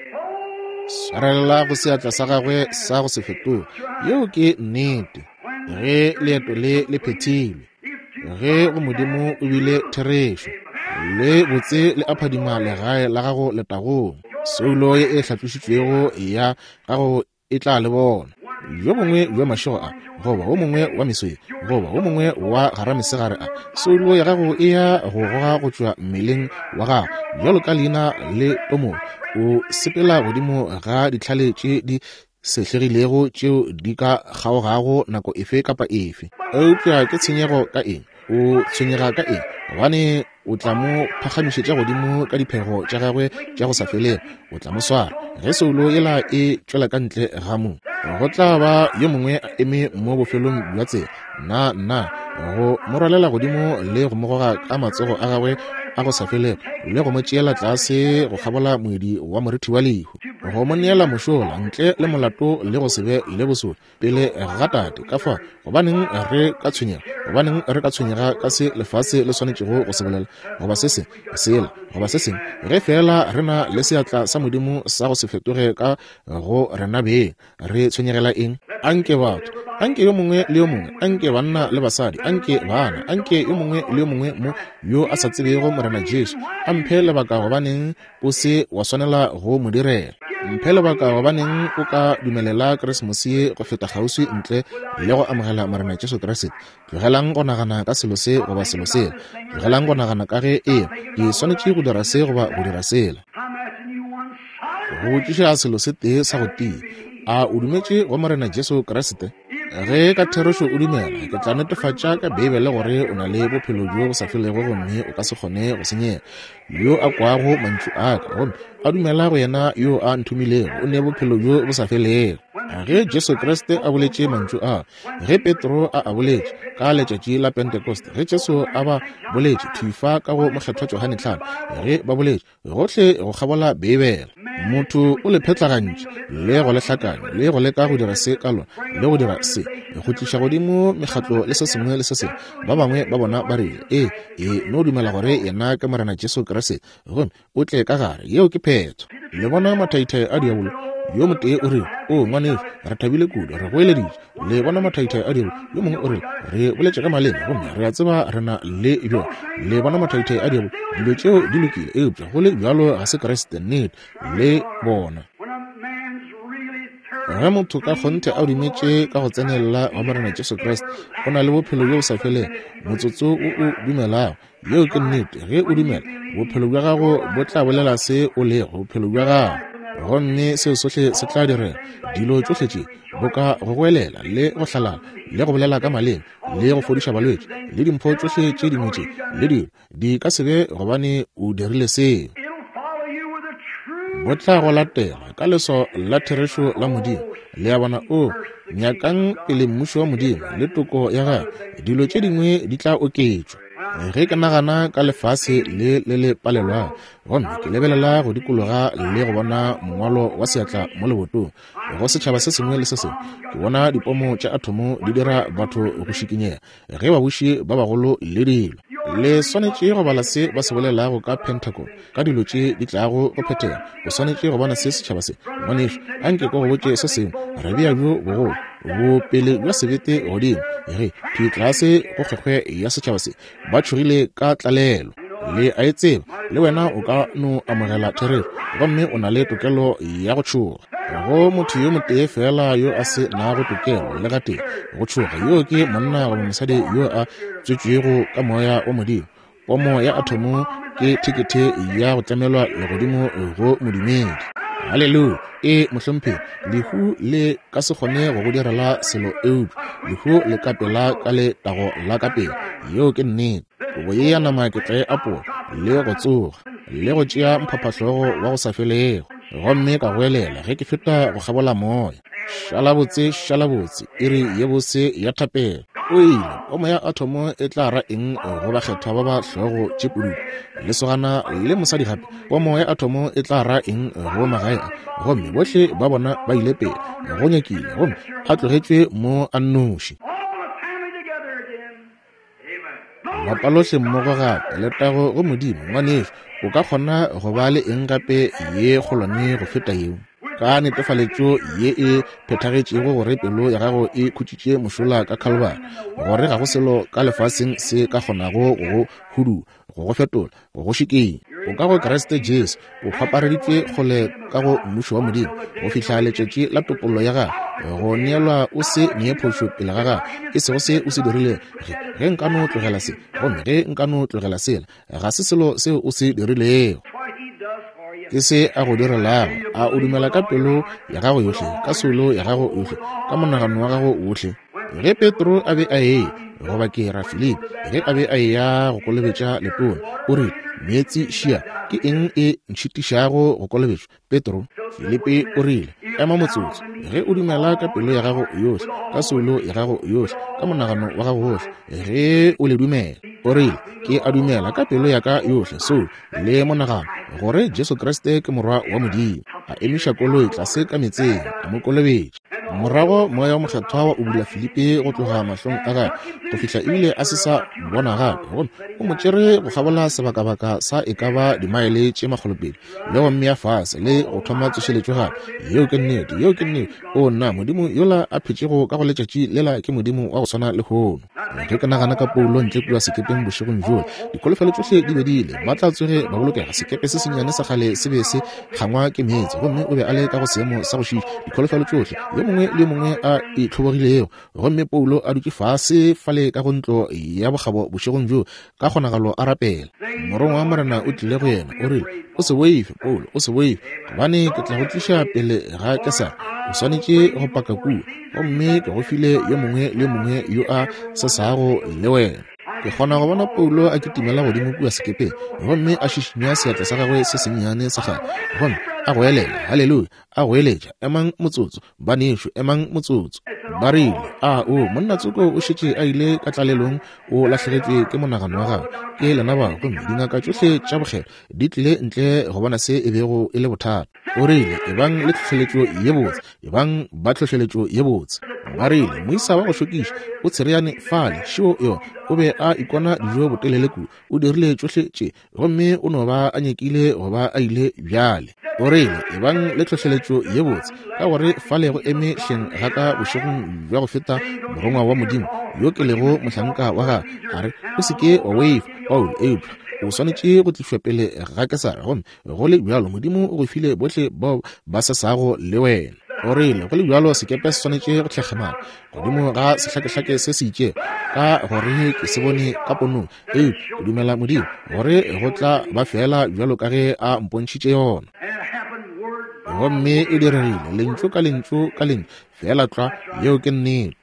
Swarelela go seatla sa gagwe sa go se fetoge. Yeo ke nnete. Ge leeto le le phethilwe, ge go Modimo o bile therešo, le botse le aphadima legae la gago letagong, soulo ye e hlatlošitšwego ya gago e tla le bona. Yo mongwe bja mašego a, goba wo mongwe wa meswe, goba wo mongwe wa garamesegare a, soulo ya gago e ya go goga go tšwa mmeleng wa gago bjalo ka leina le tomo. O sepela godimo ga ditlhale tše di sehlegilego tšeo di ka kgaogago nako efe kapa efe. Eupša ke tshenyego ka eng? O tshwenyega ka eng? Gobane o tla mo phagamišetša godimo ka diphego tša gagwe tša go sa felego. O tla mo swara. Ge soulo yela e tšwela ka ntle ga mo, go tla ba yo mongwe a eme mo bofelong bja tsela, nna nna, go mo rwalela godimo le go mo goga ka matsogo a gagwe a go sa felego, le go mo tšeela tlase go kgabola moedi wa morithi wa lehu, go mo neela mošola ntle le molato le go se be le bosodi pele ga Tate. Ka fa, gobaneng re ka tshwenyega? Gobaneng re ka tshwenyega ka se lefase le swanetšego go se bolela, goba se se sela, goba se sengwe, ge fela re na le seatla sa Modimo sa go se fetoge ka go rena beng? Re tshwenyegela eng? Anke batho, anke yo mongwe le yo mongwe, anke banna le basadi, anke bana, anke yo mongwe le yo mongwe mo yo a sa tsebego Morena Jesu, a mphe lebaka gobaneng o se wa swanela go mo direla. Mphe lebaka gobaneng o ka dumelela Keresemose ye go feta kgauswi ntle le go amogela Morena Jesu Kriste. Tlogelang go nagana ka selo se goba selo sela. Tlogelang go nagana ka ge ee ke swanetše go dira se goba go dira sela. Go botšiša selo se tee sa go tia. A o dumetše go Morena Jesu Kriste? Ge ka therešo o dumela, ke tla netefatša ka Beibele gore o na le bophelo bjo bo sa felego gomme o ka se kgone go senyega. Yo a kwago mantšu a ka gomme a dumela go yena yo a nthomilego o ne bophelo bjo bo sa felego. Ge Jesu Kriste a boletše mantšu a, ge Petro a a boletše ka letšatši la Pentekoste, ge Jesu a ba boletše thifa ka go mokgethwa Johane tlhano, ge ba boletše gohle go kgabola Beibele, motho o le phetlagantše le go le hlakanya le go leka go dira se ka lona le go dira se, go tliša godimo mekgatlo le se sengwe le se sengwe. Ba bangwe ba bona ba rile, ee, e no dumela gore yena ke Morena Jesu Kriste gomme o tle ka gare. Yeo ke phetho. Le bona mathaithai a diabolo? Yo motee o rile, o ngwanešu, re thabile kudu, re goeleditše. Le bona mathaithai a diabolo? Yo mongwe o rile, re boletše ka maleme gomme re a tseba re na le bjona. Le bona mathaithai a diabolo? Dilo tšeo di lokile, eupša go le bjalo ga se Kriste nnete. Le bona, ge motho ka kgonthe a dumetše ka go tsenelela wa Morena Jesu Kriste, o na le bophelo bjo bo sa felego motsotso o o dumelago. Yeo ke nnete. Ge o dumela, bophelo bja gago bo tla bolela se o lego, bophelo bja gago, gomme seo sohle se tla direga. Dilo tšohle tše boka go goelela le go hlalala le go bolela ka maleme le go fodiša balwetši le dimpho tšohle tše dingwe tše le dilo di ka se be gobane o dirile seo. Bo tla go latela ka leswao la therešo la Modimo. Le a bona? O nyakang pele mmušo wa Modimo le toko ya gagwe, dilo tše dingwe di tla oketšwa. Ge ke nagana ka lefase le le le palelwago, gomme ke lebelela go dikologa le go bona mongwalo wa seatla mo lebotong go setšhaba se sengwe le se sengwe, ke bona dipomo tša athomo di dira batho go šikinyega ge babuši ba bagolo le dilo. Le swanetše go bala se ba se bolelago ka Pentagon, ka dilo tše di tlago go phethega. O swanetše go bona se setšhaba se. Ngwanešu, anke ko go botše se sengwe. Re bea bjo bogolo bopele bja sebete godimo ge thwi tlase go kgwekgwe ya setšhaba se. Ba tšhogile ka tlalelo. Le a e tseba, le wena o ka no amogela therešo, gomme o na le tokelo ya go tšhoga. Go motho yo motee fela yo a se nago tokelo le gatee go tšhoga, yo ke monna goba mosadi yo a tswetšwego ka moya wa Modimo. Pomo ya athomo ke thekethe ya go tlamelwa legodimo go modumedi. Haleluya! E mohlomphegi, lehu le ka se kgone go go direla selo eupša lehu le ka pela ka letago la ka pele. Yeo ke nnete. Kobo ye ya nama ke tla e apola le go tsoga le go tšea mphaphahlogo wa go sa felego, gomme ka goelela ge ke feta go kgabola moya. Šala botse, šala botse, iri ye bose ya thapelo. O ile, pomo ya athomo e tla ra eng go bakgethwa ba ba hlogo tše pududu, lesogana le mosadi gape? Pomo ya athomo e tla ra eng go magae a? Gomme bohle ba bona ba ile pele go nyakile, gomme a tlogetšwe mo a nnoši. Lapa lohle mmogo gape, letago go Modimo. Ngwanešu, o ka kgona go ba le eng gape ye kgolwane go feta yeo? Ka netefaletšo ye e phethagetšego gore pelo ya gago e khutšitše mošola ka Calvary, gore ga go selo ka lefaseng se ka kgonago go go hudu, go go fetola, go go šikenya. O ka go Kriste Jesu, o kgwapareditšwe kgole ka go mmušo wa Modimo go fihla letšatši la topollo ya gago, go neelwa o se nee phošo pele ga gago, e sego se o se dirilego. Ge, ge nka no tlogela se, gomme ge nka no tlogela sela, ga se selo seo o se dirilego, ke se a go direlago. A o dumela ka pelo ya gago yohle, ka soulo ya gago yohle, ka monagano wa gago wohle? Ge Petro a be a eya, goba ke ra Filipi, ge a be a eya go kolobetša letona, o rile, meetse šia, ke eng e ntšhitišago go kolobetšwa, Petro? Filipi o rile, ema motsotso. Ge o dumela ka pelo ya gago yohle, ka soulo ya gago yohle, ka monagano wa gago wohle, ge o le dumela. O rile, ke a dumela ka pelo ya ka yohle, soulo le monagano, gore Jesu Kriste ke morwa wa Modimo. A emiša koloi tlase ka meetseng, a mo kolobetša. Morago moya wa mokgethwa wa ubula Filipi go tloga mahlong a gagwe go fihla ebile a se sa bona gape, gomme o mo tšere go kgabola sebakabaka sa e ka ba dimaele tše makgolopedi le go mmea fase le go thoma tsošeletšo gape. Yeo ke nnete, yeo ke nnete. O nna, Modimo yola a phetšego ka go letšatši lela ke Modimo wa go swana lehono. Ge ke nagana ka Paulo ntle kua sekepeng bošegong bjola, dikholofelo tšohle di be di ile, ba tla tsoge ba bolokega. Sekepe se sennyane sa kgale se be se kgangwa ke meetse, gomme o be a le ka go seemo sa go šiiša. Dikholofelo tšohle, yo mongwe le yo mongwe a itlhobogilego, gomme Paulo a dutše fase fale ka go ntlo ya bokgabo bošegong bjo, ka kgonagalo a rapela. Morongwa wa Morena o tlile go yena, o rile, o se boife, Paulo, o se boife, gobane ke tla go tliša pele ga Kesara. O swanetše go paka kua, gomme ke go file yo mongwe le yo mongwe yo a sesago le wena. Ke kgona go bona Paulo a kitimela godimo kua sekepeng, gomme a šišinya seatla sa gagwe se sennyane sa kgale, gomme a goelela, haleluya, a goeletša, emang motsotso, banešu, emang motsotso. Ba rile, a o monna tsoko o šetše a ile ka tlalelong, o lahlegetšwe ke monagano wa gagwe, ke lena bao, gomme dingaka tšohle tša bokgelo di tlile ntle go bona se e bego e le bothata. O rile, ebang le tlhohleletšo ye botse, ebang ba tlhohleletšo ye botse. Ba rile, moisa wa go šokiša o tshereane fale, šeo yona, o be a ikona dijo botelele kudu, o dirile tšohle tše, gomme o no ba a nyakile go ba a ile bjale. O rile, ebang le tlhohleletšo ye botse, ka gore fale go eme hleng ga ka bošegong bja go feta morongwa wa Modimo yo ke lego mohlanka wa gagwe, a re, o se ke wa boifa, Paulo, eupša o swanetše go tlišwa pele ga Kesara, gomme go le bjalo Modimo o go file bohle bao ba sesago le wena. O rile, go le bjalo sekepe se swanetše go tlhekgemana godimo ga sehlakehlake se se itšego, ka gore ke se bone ka ponong, eupša ke dumela Modimo gore go tla ba fela bjalo ka ge a mpontšhitše yona. Gomme e diregile lentšu ka lentšu ka lentšu fela tlwa. Yeo ke nnete.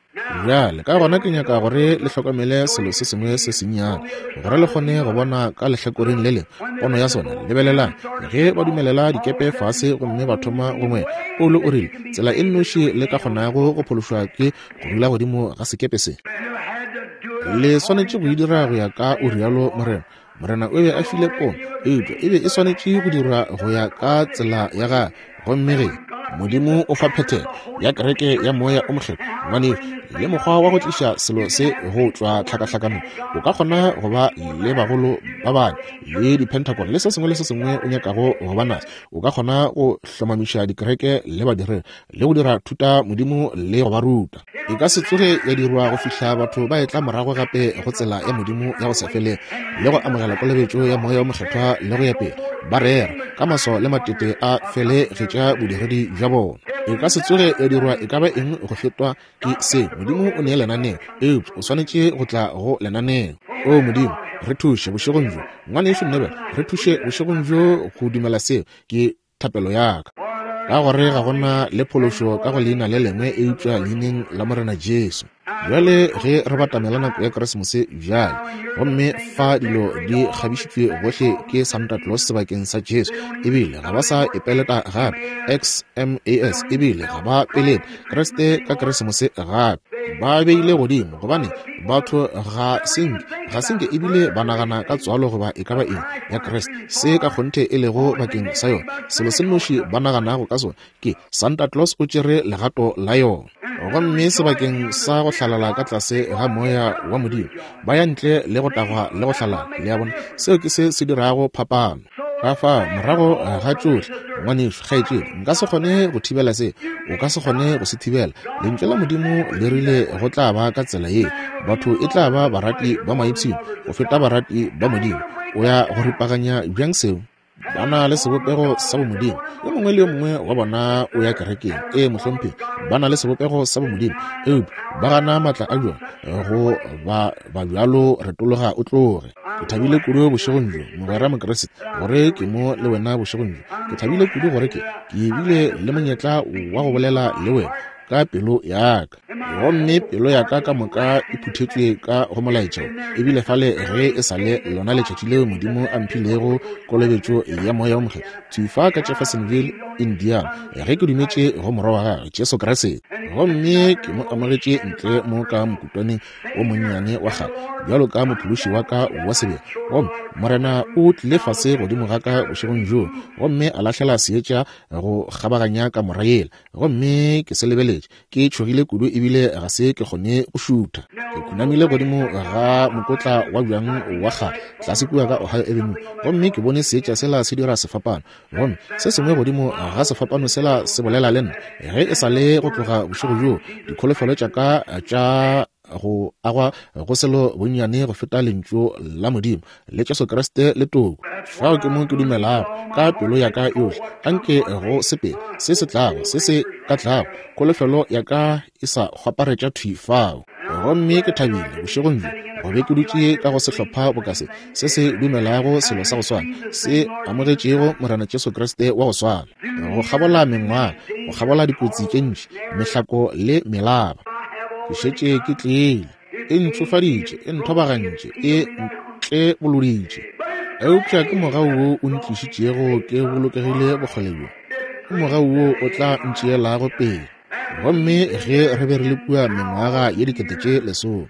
Bjale ka gona ke nyaka gore le hlokomele selo se sengwe se sennyane, gore le kgone go bona ka lehlakoreng le lengwe pono ya sona. Lebelelang, ge ba dumelela dikepe fase gomme ba thoma go ngwela, Paulo o rile, tsela e nnoši le ka kgonago go phološwa ke go dula godimo ga sekepe se. Le swanetše go e dira go ya ka o rialo Morena. Morena o be a file pono, eupša e be e swanetše go dirwa go ya ka tsela ya gagwe. Gomme ge Modimo o fa phethelo ya kereke ya Moya o Mokgethwa, ngwanešu, le mokgwa wa go tliša selo se go tšwa tlhakahlakanong. O ka kgona go ba le bagolo ba bane le dipentagon le se sengwe le se sengwe o nyakago go ba naso. O ka kgona go hlomamiša dikereke le badiredi le go dira thuta modimo le go ba ruta. E ka se tsoge ya dirwa go fihla batho ba etla morago gape go tsela ya Modimo ya go se fele le go amogela kolobetšo ya Moya o Mokgethwa le go ya pele, ba rera ka maso le matete a felegetša bodiredi bja bona. E ka se tsoge ya dirwa e ka ba eng go fetwa ke se. Modimo o nee lenaneo, eupša o swanetše go tla go lenaneo. O Modimo, re thuše bošegong bjo. Ngwanešu Neville, re thuše bošegong bjo go dumela seo. Ke thapelo ya ka. Ka gore ga gona le phološo ka go leina le lengwe eupša leineng la Morena Jesu. Bjale ge re batamela nako ya Keresemose bjale, gomme fa dilo di kgabišitšwe gohle ke Santa Claus sebakeng sa Jesu, ebile ga ba sa epeleta gape X M A S, ebile ga ba pelete Kriste ka Keresemose gape. Ba beile godimo gobane batho ga senke ga senke ebile ba nagana ka tswalo goba e ka ba eng ya Kriste, se ka kgonthe e lego bakeng sa yona. Selo se nnoši ba naganago ka sona ke Santa Claus o tšere legato la yona. Gomme sebakeng sa go hlalala ka tlase ga moya wa Modimo, ba ya ntle le go tagwa le go hlalala. Le a bona, seo ke se se dirago phapano. Ka fa morago ga tšohle, ngwanešu, kgaetšedi, nka se kgone go thibela se, o ka se kgone go se thibela. Lentšu la Modimo le rile go tla ba ka tsela ye, batho e tla ba barati ba maipshino go feta barati ba Modimo. O ya go ripaganya bjang seo? Ba na le sebopego sa bomodimo. Yo mongwe le yo mongwe wa bona o ya kerekeng. Ee, mohlomphegi, ba na le sebopego sa bomodimo, eupša ba gana maatla a bjona. Go ba ba bjalo retologa o tloge. Ke thabile kudu bošegong bjo, mogwera Mokriste, gore ke mo le wena bošegong bjo. Ke thabile kudu gore ke ke bile le monyetla wa go bolela le wena ka pelo ya ka. Gomme pelo ya ka ka moka e phuthetšwe ka go molaetša, ebile fale ge e sa le lona letšatši leo Modimo a mphilego kolobetšo ya Moya o Mokgethwa thwi ka Jeffersonville, Indiana, ge ke dumetše go morwa wa gagwe Jesu Kriste. Gomme ke mo amogetše ntle mo ka mokutwaneng o monnyane wa kgale bjalo ka mophološi wa ka wa sebele. Gomme Morena o tlile fase godimo ga ka bošegong bjoo gomme a lahlela seetša go kgabaganya kamora yela, gomme ke se lebeletše ke tšhogile kudu ebile ga se ke kgone go šutha. Ke khunamile godimo ga mokotla wa bjang wa kgale tlase kua ka Ohio Avenue, gomme ke bone seetša sela se dira sefapano, gomme se sengwe godimo ga sefapano sela se bolela le nna. Ge e sa le go tloga bošego bjoo, dikholofelo tša ka tša go agwa go selo bonnyane go feta lentšu la Modimo le Jesu Kriste le toko. Fao ke mo ke dumelago ka pelo ya ka yohle. Anke go sepele se se tlago, se se ka tlago, kholofelo ya ka e sa kgwaparetša thwi fao. Gomme ke thabile bošegong bjo go be ke dutše ka go sehlopha boka se, se se dumelago selo sa go swana, se amogetšego Morena Jesu Kriste wa go swana, go kgabola mengwaga, go kgabola dikotsi tše ntši, mehlako le melaba. Ke šetše ke tlile, e ntšofaditše, e nthobagantše, e ntleboloditše, eupša ke mogau wo o ntlišitšego ke bolokegile bokgole bjo, ke mogau wo o tla ntšeelago pele. Gomme ge re be re le kua mengwaga ye dikete tše lesome,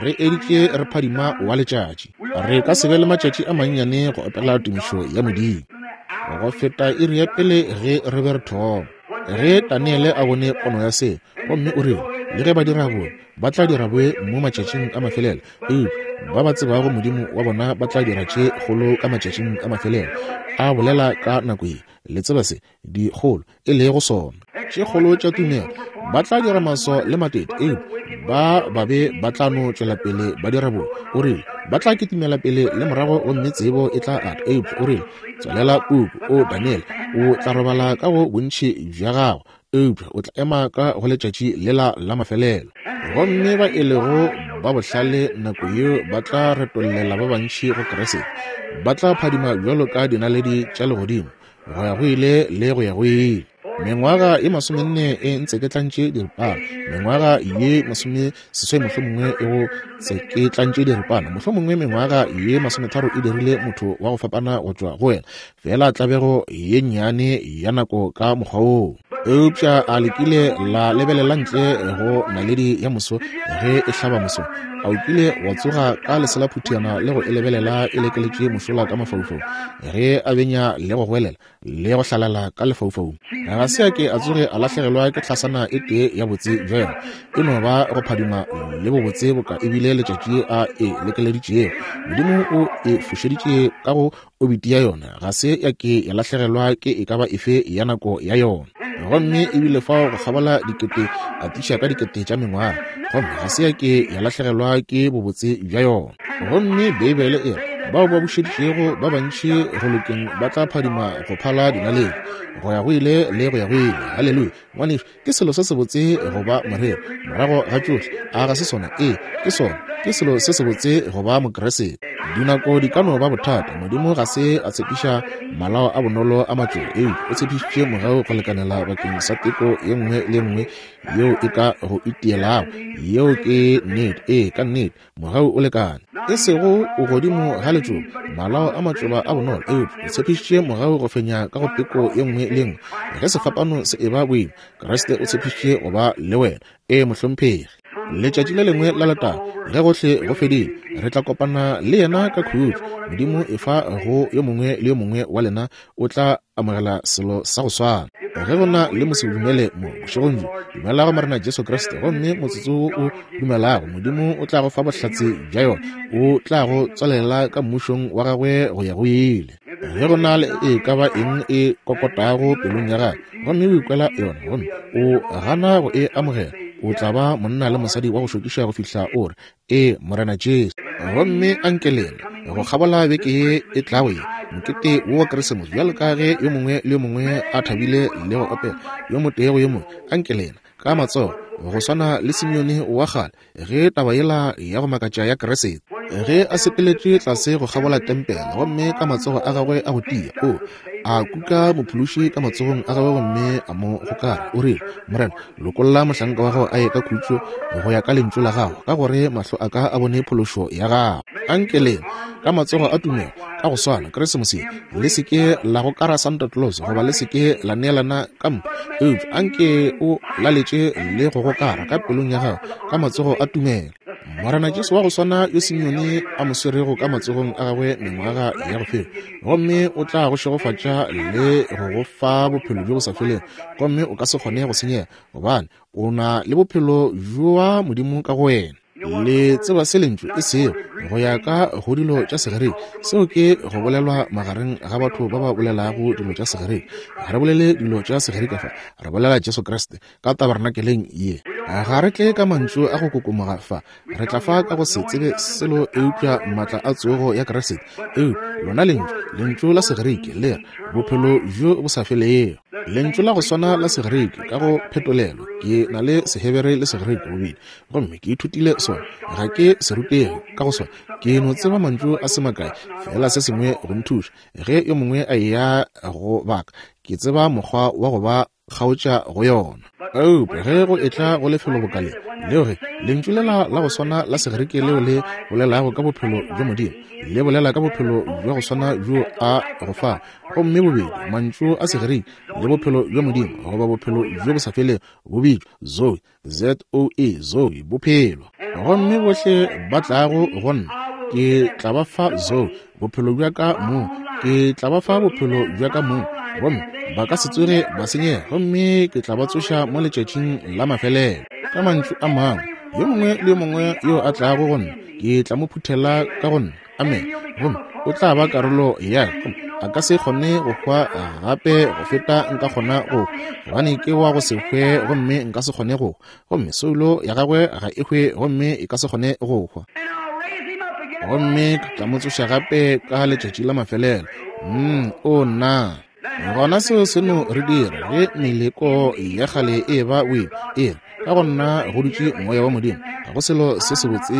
re editše re phadima wa letšatši, re ka se be le matšatši a mannyane go opela tumišo ya Modimo go feta iri ya pele ge re be re thoma. Ge Daniele a bone pono ya se, gomme o rile, le ge ba dira boe, ba tla dira boe mo matšatšing a mafelelo, eupša ba ba tsebago Modimo wa bona ba tla dira tše kgolo ka matšatšing a mafelelo. A bolela ka nako ye, le tseba se dikgolo e lego sona, tše kgolo tša tumelo. Ba tla dira maso le matete, eupša ba babe ba tla no tšwela pele ba dira boe. O rile ba tla kitimela pele le morago, gomme tsebo e tla ata. Eupša o rile, tswalela puku, o Daniele, o tla robala ka go bontši bja gago, eupša o tla ema ka go letšatši lela la mafelelo. Gomme ba e lego ba bohlale nako yeo ba tla retollela ba bantši go Kriste, ba tla phadima bjalo ka dinaledi tša legodimo go ya go ile le go ya go ile. Mengwaga ye masomenne e ntseketlantše diripana, mengwaga ye masomeseswai mohlomongwe e go tseketlantše diripana, mohlomongwe mengwaga ye masometharo e dirile motho wa go fapana go tšwa go wena, fela tlabego ye nnyane ya nako ka mokgwa woo. Eupša a lekile la lebelela ntle go naledi ya moso ge e hlaba moso? A o kile wa tsoga ka leselaphutiana le go e lebelela e lekeletše mošola ka mafaufaung, ge a benya le go goelela le go hlalala ka lefaufaung? Ga se a ke a tsoge a lahlegelwa ke hlasana e tee ya botse bja yona. E no ba go phadima le bobotse boka ebile letšatši a e lekeleditšego. Modimo o e fošeditše ka go obiti ya yona, ga se ya ke ya lahlegelwa ke e ka ba efe ya nako ya yona. Gomme ebile fao go kgabola dikete atiša ka dikete tša mengwaga, gomme ga se ya ke ya lahlegelwa ke bobotse bja yona. Gomme Beibele e re bao ba bušeditšego ba bantši go lokeng ba tla phadima go phala dinaledi go ya go ile le go ya go ile. Haleluya! Ngwanešu, ke selo se sebotse go ba moreri morago ga tšohle. A ga se sona? Ee, ke sona. Ke selo se sebotse go ba Mokeresete. Dinako di ka no ba bothata. Modimo ga se a tshepiša malao a bonolo a matšoba, eupša o tshepišitše mogau go lekanela bakeng sa teko ye nngwe le ye nngwe yeo e ka go itielago. Yeo ke nnete. Ee, ka nnete, mogau o lekane. E sego o godimo ga letšoba, malao a matšoba a bonolo, eupša o tshepišitše mogau go fenya ka go teko ye nngwe le ye nngwe. Ge sefapano se eba boima, Kriste o tshepišitše go ba le wena. Ee, mohlomphegi. Letšatši le lengwe la letago, ge gohle go fedile, re tla kopana le yena ka khutšo. Modimo e fa go yo mongwe le yo mongwe wa lena o tla amogela selo sa go swana. Ge go na le mosedumele mo bošegong bjo, dumela go Morena Jesu Kriste, gomme motsotso wo o dumelago, Modimo o tla go fa bohlatse bja yona, o tla go tswalela ka mmušong wa gagwe go ya go ile. Ge go na le e ka ba eng e kokotago pelong ya gago, gomme o ikwela yona, gomme o gana go e amogela, o tla ba monna le mosadi wa go šokiša go fihla o re, Ee, Morena Jesu. Gomme anke lena go kgabola beke ye e tlago ye, mokete wo wa Keresemose, bjalo ka ge yo mongwe le yo mongwe a thabile le go opela yo motee go yo mongwe, anke lena ka matsogo go swana le Simeone wa kgale ge taba yela ya go makatša ya Keresete, ge a sepeletše tlase go kgabola tempele, gomme ka matsogo a gagwe a go tia, o a kuka mophološi ka matsogong a gagwe gomme a mo gokara. O rile, Morena, lokolla mohlanka wa gago a ye ka khutšo go ya ka lentšu la gago, ka gore mahlo a ka a bone phološo ya gago. Anke lena ka matsogo a tumelo ka go swana Keresemose, le se ke la gokara Santa Claus goba le se ke la neelana ka mpho, eupša anke o laletše le go gokara ka pelong ya gago ka matsogo a tumelo. Morena Jesu wa go swana yo Simeone a mo swerego ka matsogong a gagwe mengwaga ya go feta, gomme o tla go šegofatša le go go fa bophelo bjo bo sa felego, gomme o ka se kgone go senyega, gobane o na le bophelo bja Modimo ka go wena. Le tseba se lentšu e sego go ya ka go dilo tša Segerike. Seo ke go bolelwa magareng ga batho ba ba bolelago dilo tša Segerike. Ga re bolele dilo tša Segerike fa, re bolela Jesu Kriste ka tabernakeleng ye. Ga re tle ka mantšu a go kokomoga fa, re tla fa ka go se tsebe selo eupša maatla a tsogo ya Kriste. Eupša lona lentšu, lentšu la Segerike le re bophelo bjo bo sa felego. Lentšu la go swana la Segerike ka go phetolelo, ke na le Sehebere le Segerike bobedi, gomme ke ithutile sona. Ga ke se rutege ka go sona, ke no tseba mantšu a se makae fela, se sengwe go nthuša ge yo mongwe a eya go baka, ke tseba mokgwa wa go ba kgaotša go yona. Eupša ge go etla go lefelo bokaleng leo, ge lentšu lela la go swana la Segerike leo le bolelago ka bophelo bja Modimo, le bolela ka bophelo bja go swana bjo a go fa, gomme bobedi mantšu a Segerike le bophelo bja Modimo goba bophelo bjo bo sa felego bo bitšwa Zoe, Z O E, Zoe, bophelo. Gomme bohle ba tlago go nna, ke tla ba fa Zoe, bophelo bja ka mong, ke tla ba fa bophelo bja ka mong, gomme ba ka se tsoge ba senyega, gomme ke tla ba tsoša mo letšatšing la mafelelo. Ka mantšu a mangwe, yo mongwe le yo mongwe yo a tlago go nna, ke tla mo phuthela ka go nna. Amen. Gomme o tla ba karolo ya ka, a ka se kgone go hwa gape go feta nka kgona go, gobane ke wa go se hwe, gomme nka se kgone go hwa. Gomme soulo ya gagwe ga e hwe, gomme e ka se kgone go hwa. Gomme ke tla mo tsoša gape ka letšatši la mafelelo. Mm, o nna. Gona seo se no re dira ge meleko ya kgale e ba boima, e re ka go nna go dutše moya wa Modimo. Ga go selo se sebotse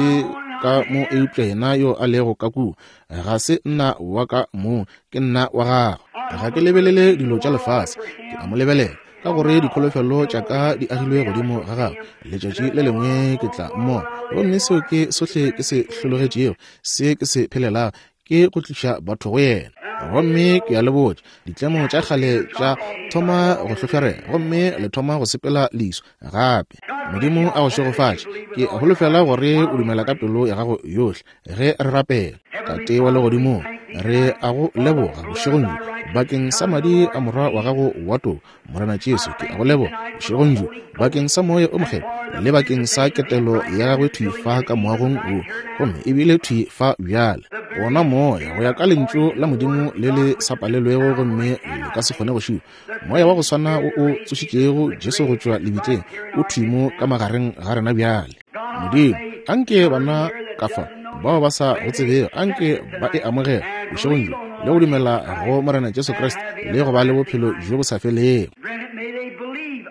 ka mo eupša yena yo a lego ka kua. Ga se nna wa ka mong, ke nna wa gagwe. Ga ke lebelele dilo tša lefase, ke a mo lebelela, ka gore dikholofelo tša ka di agilwe godimo ga gagwe. Letšatši le lengwe ke tla mmona, gomme seo ke sohle ke se hlologetšego, se ke se phelelago. ke go tliša batho go yena. Gomme ke a le botša, ditlemo tša kgale tša thoma go hlohlorega, gomme le thoma go sepela leso gape. Modimo a go šegofatše. Ke holofela gore o dumela ka pelo ya gago yohle ge re rapela. Tate wa legodimong, re a go leboga bošegong bjo bakeng sa madi a morwa wa gago wa toka, Morena Jesu. Ke a go leboga bošegong bjo bakeng sa moya o mokgethwa le bakeng sa ketelo ya gagwe thwi fa ka moagong wo, gomme ebile thwi fa bjale. Wona moya go ya ka lentšu la Modimo le le sa palelwego gomme le ka se kgone go šiwa, moya wa go swana wo o tsošitšego Jesu go tšwa lebitleng o thwi mo ka magareng ga rena bjale. Modimo, anke bana ka fa bao ba sa go tsebego, anke ba e amogela bošegong bjo le go dumela go Morena Jesu Kriste le go ba le bophelo bjo bo sa felego.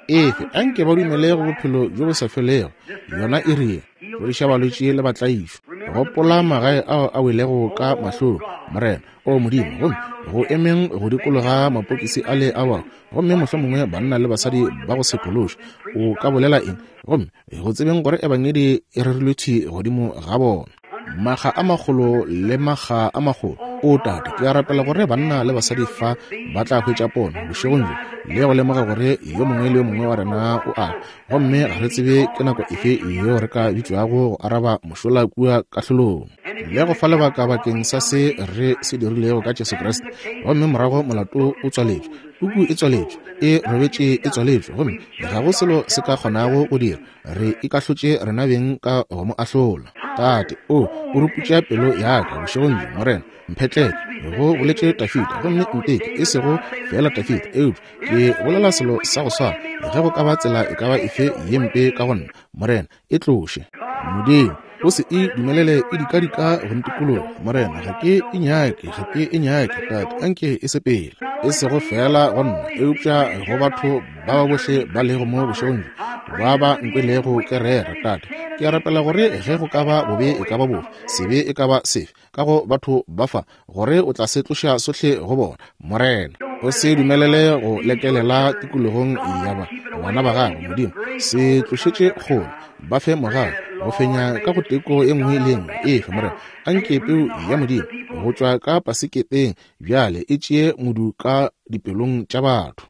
Efe, anke ba dumele go bophelo bjo bo sa felego. Yona e rile, fodiša balwetši le batlaišwa. Gopola magae ao a welego ka mahlong, Morena, o Modimo, gomme go emeng go dikologa mapokisi a le a bao, gomme mohlomongwe banna le basadi ba go se phološe. O ka bolela eng? Gomme go tsebeng gore ebangedi e rerilwe thwi godimo ga bona, makga a magolo le makga a magolo. O Tate, ke a rapela gore banna le basadi fa ba tla hwetša pono bošegong bjo le go lemoga gore yo mongwe le yo mongwe wa rena o a, gomme ga re tsebe ke nako efe yeo re ka bitšwago go araba mošola kua kahlolong le go fa lebaka bakeng sa se re se dirilego ka Jesu Kriste. Gomme morago molato o tswaletšwe, puku e tswaletšwe, e robetše e tswaletšwe, gomme ga go selo se ka kgonago go dira. Re ikahlotše rena beng ka go mo ahlola. Tate, o o ruputša pelo ya ka bošegong bjo, Morena. Mphetleke, go boletše Dafida, gomme nteke, e sego fela Dafida, eupša ke bolela selo sa go swana. Ge go ka ba tsela e ka ba efe ye mpe ka go nna, Morena, e tloše. Modimo, o se e dumelele e dikadika go ntikologa, Morena. Ga ke e nyake, ga ke e nyake, Tate, anke e sepele. E sego fela go nna, eupša go batho ba ba bohle ba lego mo bošegong bjo, ba ba nkwelego ke rera. Tate, ke a rapela gore ge go ka ba bobe e ka ba bofe, sebe e ka ba sefe ka go batho ba fa, gore o tla se tloša sohle go bona, Morena. O se dumelele go lekelela tikologong ya ba bana ba gago, Modimo. Se tlošetše kgole, ba fe mogau go fenya ka go teko e nngwe le e nngwe. Efe, Morena, anke peu ya Modimo go tšwa ka paseketeng bjale e tšee modu ka dipelong tša batho,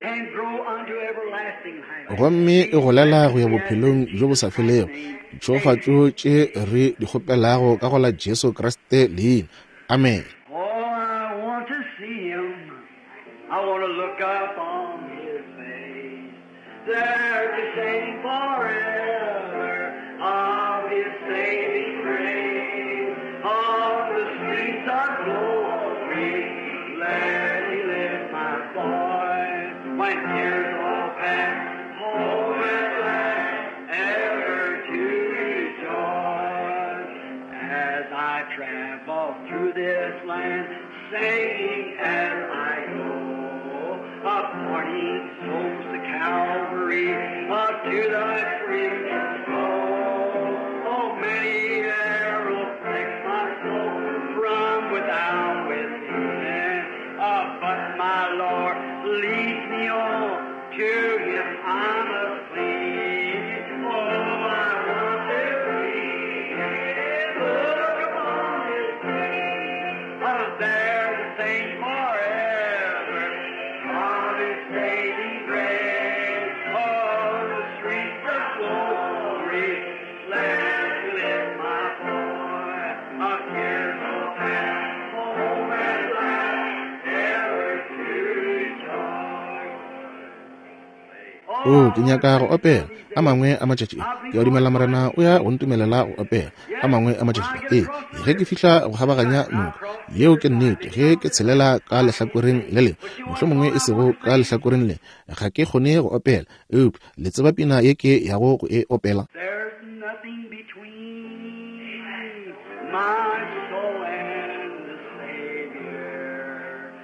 gomme e golela go ya bophelong bjo bo sa felego. Ditšhegofatšo tše re di kgopelago ka go la Jesu Kriste leina. Amen. Singing as I go, up morning souls to Calvary, up to the crimson flow. Oh, many arrows prick my soul from without within, uh, but my Lord leads me on to Him I must cling. Oh, I want to see Him, look upon His face, oh, there to sing forever of His saving grace. Oh, the streets of glory, let me lift my voice, a tearful path, home at last, ever to rejoice. O, ke nyaka go opela a mangwe a matšatši. Ke a dumela Morena o ya go ntumelela go opela a mangwe a matšatši. Ee, ge ke fihla go kgabaganya noka, yeo ke nnete. Ge ke tshelela ka lehlakoreng le lengwe, mohlomongwe e sego ka lehlakoreng le, ga ke kgone go opela, eupša le tseba pina ye ke yago go e opela. There's nothing between my soul and the Savior,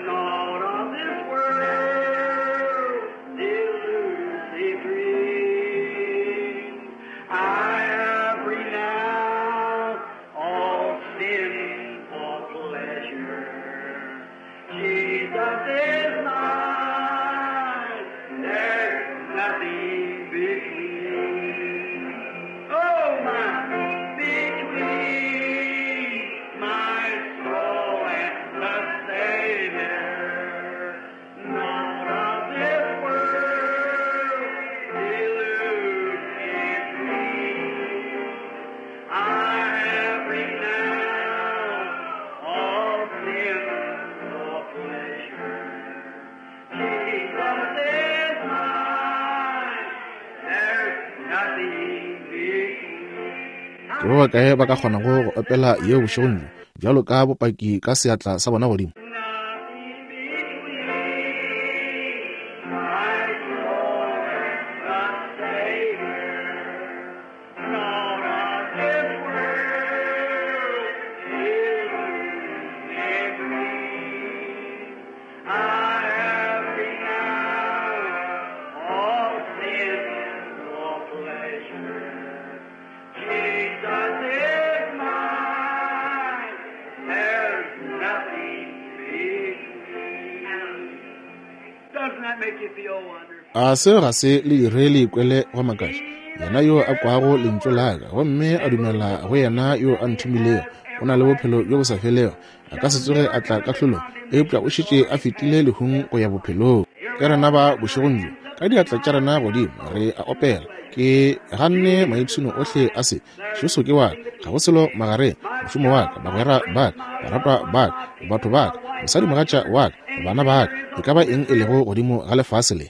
naught of this world, delusive dreams. I have renounced all sinful pleasure. Jesus is mine. There's nothing between. Oh, my, between my Ke ba bakae ba ka kgonago go opela yeo bošegong bjo bjalo ka bopaki ka seatla sa bona godimo? A seo ga se le dire le ikwele go makatša? Yena yo a kwago lentšu la ka gomme a dumela go yena yo a nthomilego o na le bophelo bjo bo sa felego, a ka se tsoge a tla kahlolong, eupša o šetše a fetile lehung go ya bophelong. Ke rena ba bošegong bjo ka diatla tša rena godimo re a opela. Ke ganne maipshino ohle a se. Jesu ke wa ka, ga go selo magareng, mošomo wa ka, bagwera ba ka, baratwa ba ka, batho ba ka, mosadimogatša wa ka, bana ba ka, e ka ba eng e lego godimo ga lefase le.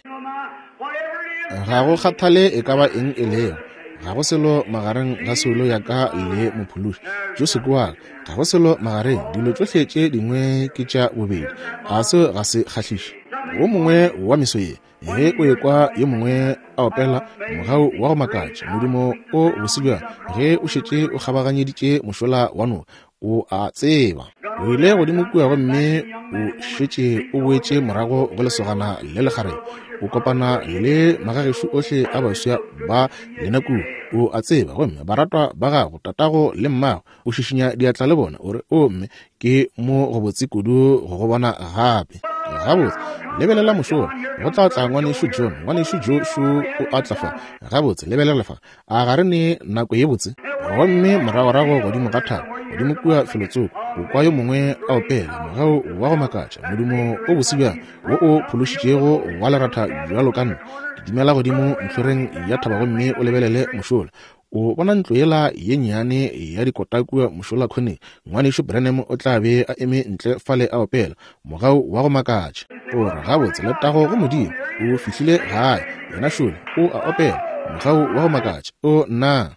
Ga go kgathale e ka ba eng e lego, ga go selo magareng ga soulo ya ka le mophološi. Jesu ke wa ka, ga go selo magareng, dilo tšohle tše dingwe ke tša bobedi. A seo ga se kgahliše? Wo mongwe wa meso ye, ge o ekwa yo mongwe a opela mogau wa go makatša, modumo o bose bjang, ge o šetše o kgabaganyeditše mošola wa noka, o a tseba o ile godimo kua gomme o šetše o boetše morago go lesogana le lekgarebe, o kopana le magagešo ohle a baswa ba lena kua, o a tseba, gomme baratwa ba gago, tatago le mmago, o šišinya diatla le bona, o re, o mme, ke mo go botse kudu go go bona gape. Gabotse, lebelela mošola, go tla tla ngwanešu John, ngwanešu Joe o a tla fa. Gabotse, lebelela fa, a ga re ne nako ye botse? Gomme moragorago godimo ga thaba, godimo kua felotsoko, o kwa yo mongwe a opela mogau wa go makatša, modumo o bose bjang wo o phološitšego wa leratha bjalo ka nna. Kitimela godimo ntlhoreng ya thaba gomme o lebelele mošola. O bona ntlo yela ye nnyane ya dikota kua mošola khoneng. Ngwanešu Branham o tla be a eme ntle fale a opela mogau wa go makatša. O re, gabotse, letago go Modimo, o fihlile gae. Yena šole o a opela mogau wa go makatša. O nna.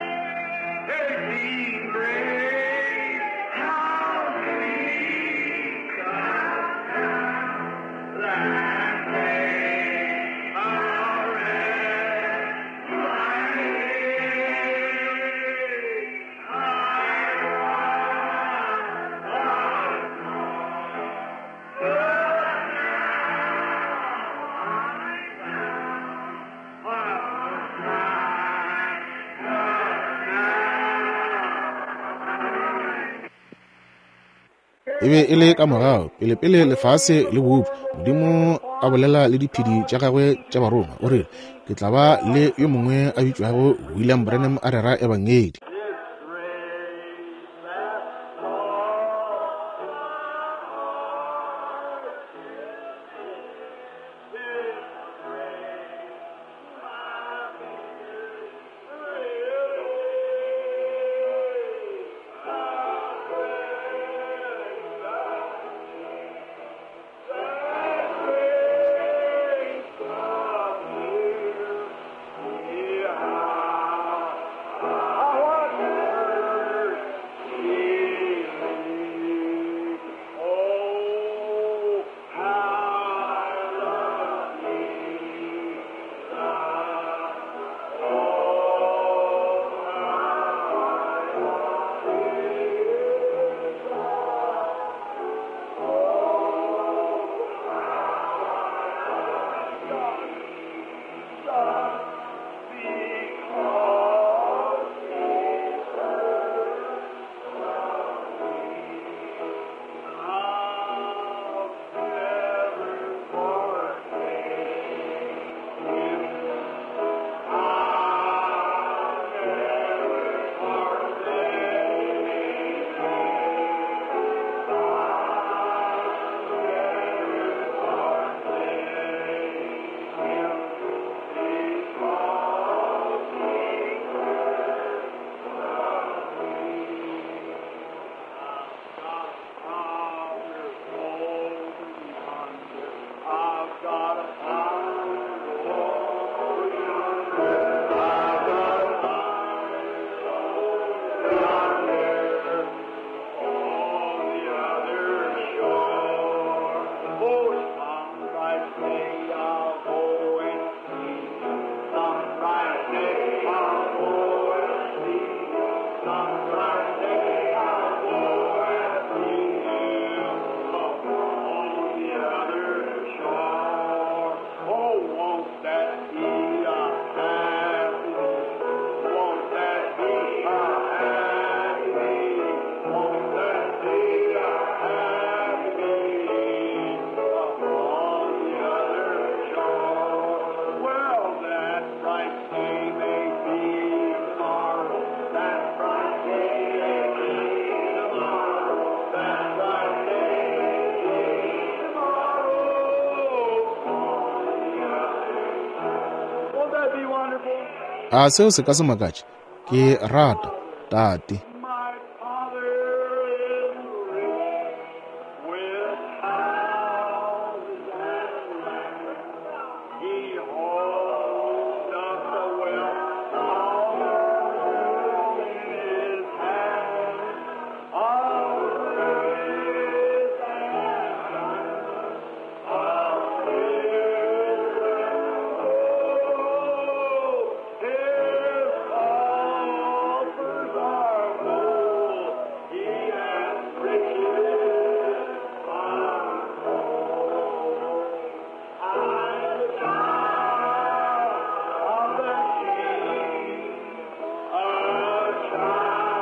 E be e le ka morago pele-pele lefase le bopša, Modimo a bolela le diphedi tša gagwe tša barongwa, o rile, ke tla ba le yo mongwe a bitšwago William Branham a rera ebangedi. A seo se ka se makatše? Ke rata Tate. My Father is rich with houses and lands. He holds up the wealth of the world in his hand. Of grace and kindness, of silver and gold, his coffers are full. He has riches untold. I'm the child of the King, a child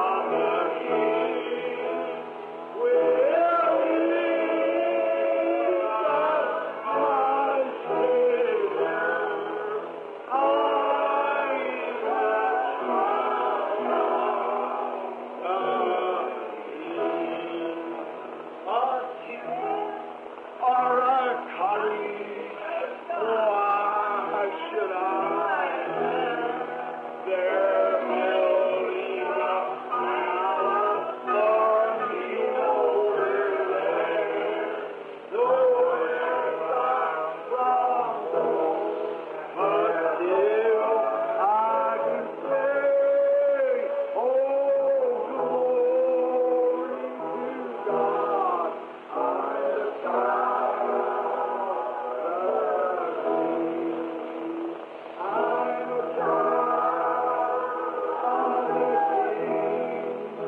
of the King. Will Jesus, my Savior, I'm a child of the King. A tent or a cottage, why should I They're building a palace for me over there. Though it's far from home, but still I can say, Oh, glory to God, I'm the child of the King.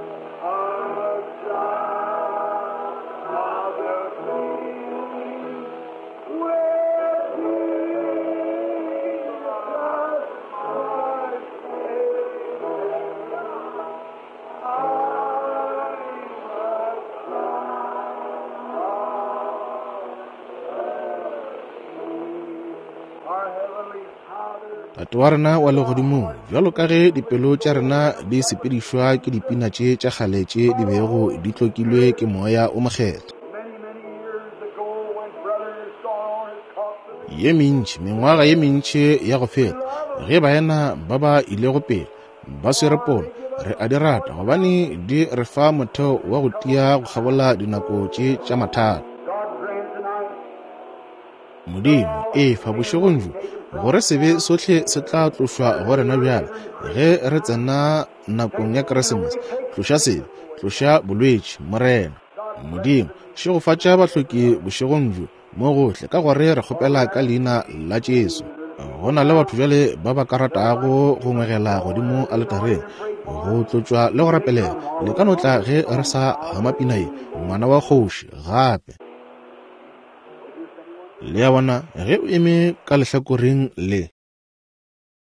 I'm a child of the King, a child of the King. With Jesus, my Savior, I'm a child of the King. Our Heavenly Father, Tate wa rena wa legodimong, bjalo ka ge dipelo tša rena di sepedišwa ke dipina tše tša kgale tše di bego di tlokilwe ke moya o mokgethwa. many, many years ago when brothers saw on his coffin, Ye mentši, mengwaga ye mentši ya go feta, ge baena ba ba ilego pele ba swere pono, re a di rata gobane di re fa motheo wa go tia go kgabola dinako tše tša mathata. God grant tonight Modimo, efa bošegong bjo gore sebe sohle se tla tlošwa go rena bjale ge re tsena nakong ya Keresemose. Tloša sebe, tloša bolwetši, Morena. Modimo, šegofatša bahloki bošegong bjo mo gohle, ka gore re kgopela ka leina la Jesu. Go na le batho bjale ba ba ka ratago go ngwegela godimo aletareng, go tlotšwa le go rapelela. Le ka no tla ge re sa hama pina ye, ngwana wa kgoši, gape. Le a bona, ge o eme ka lehlakoreng le.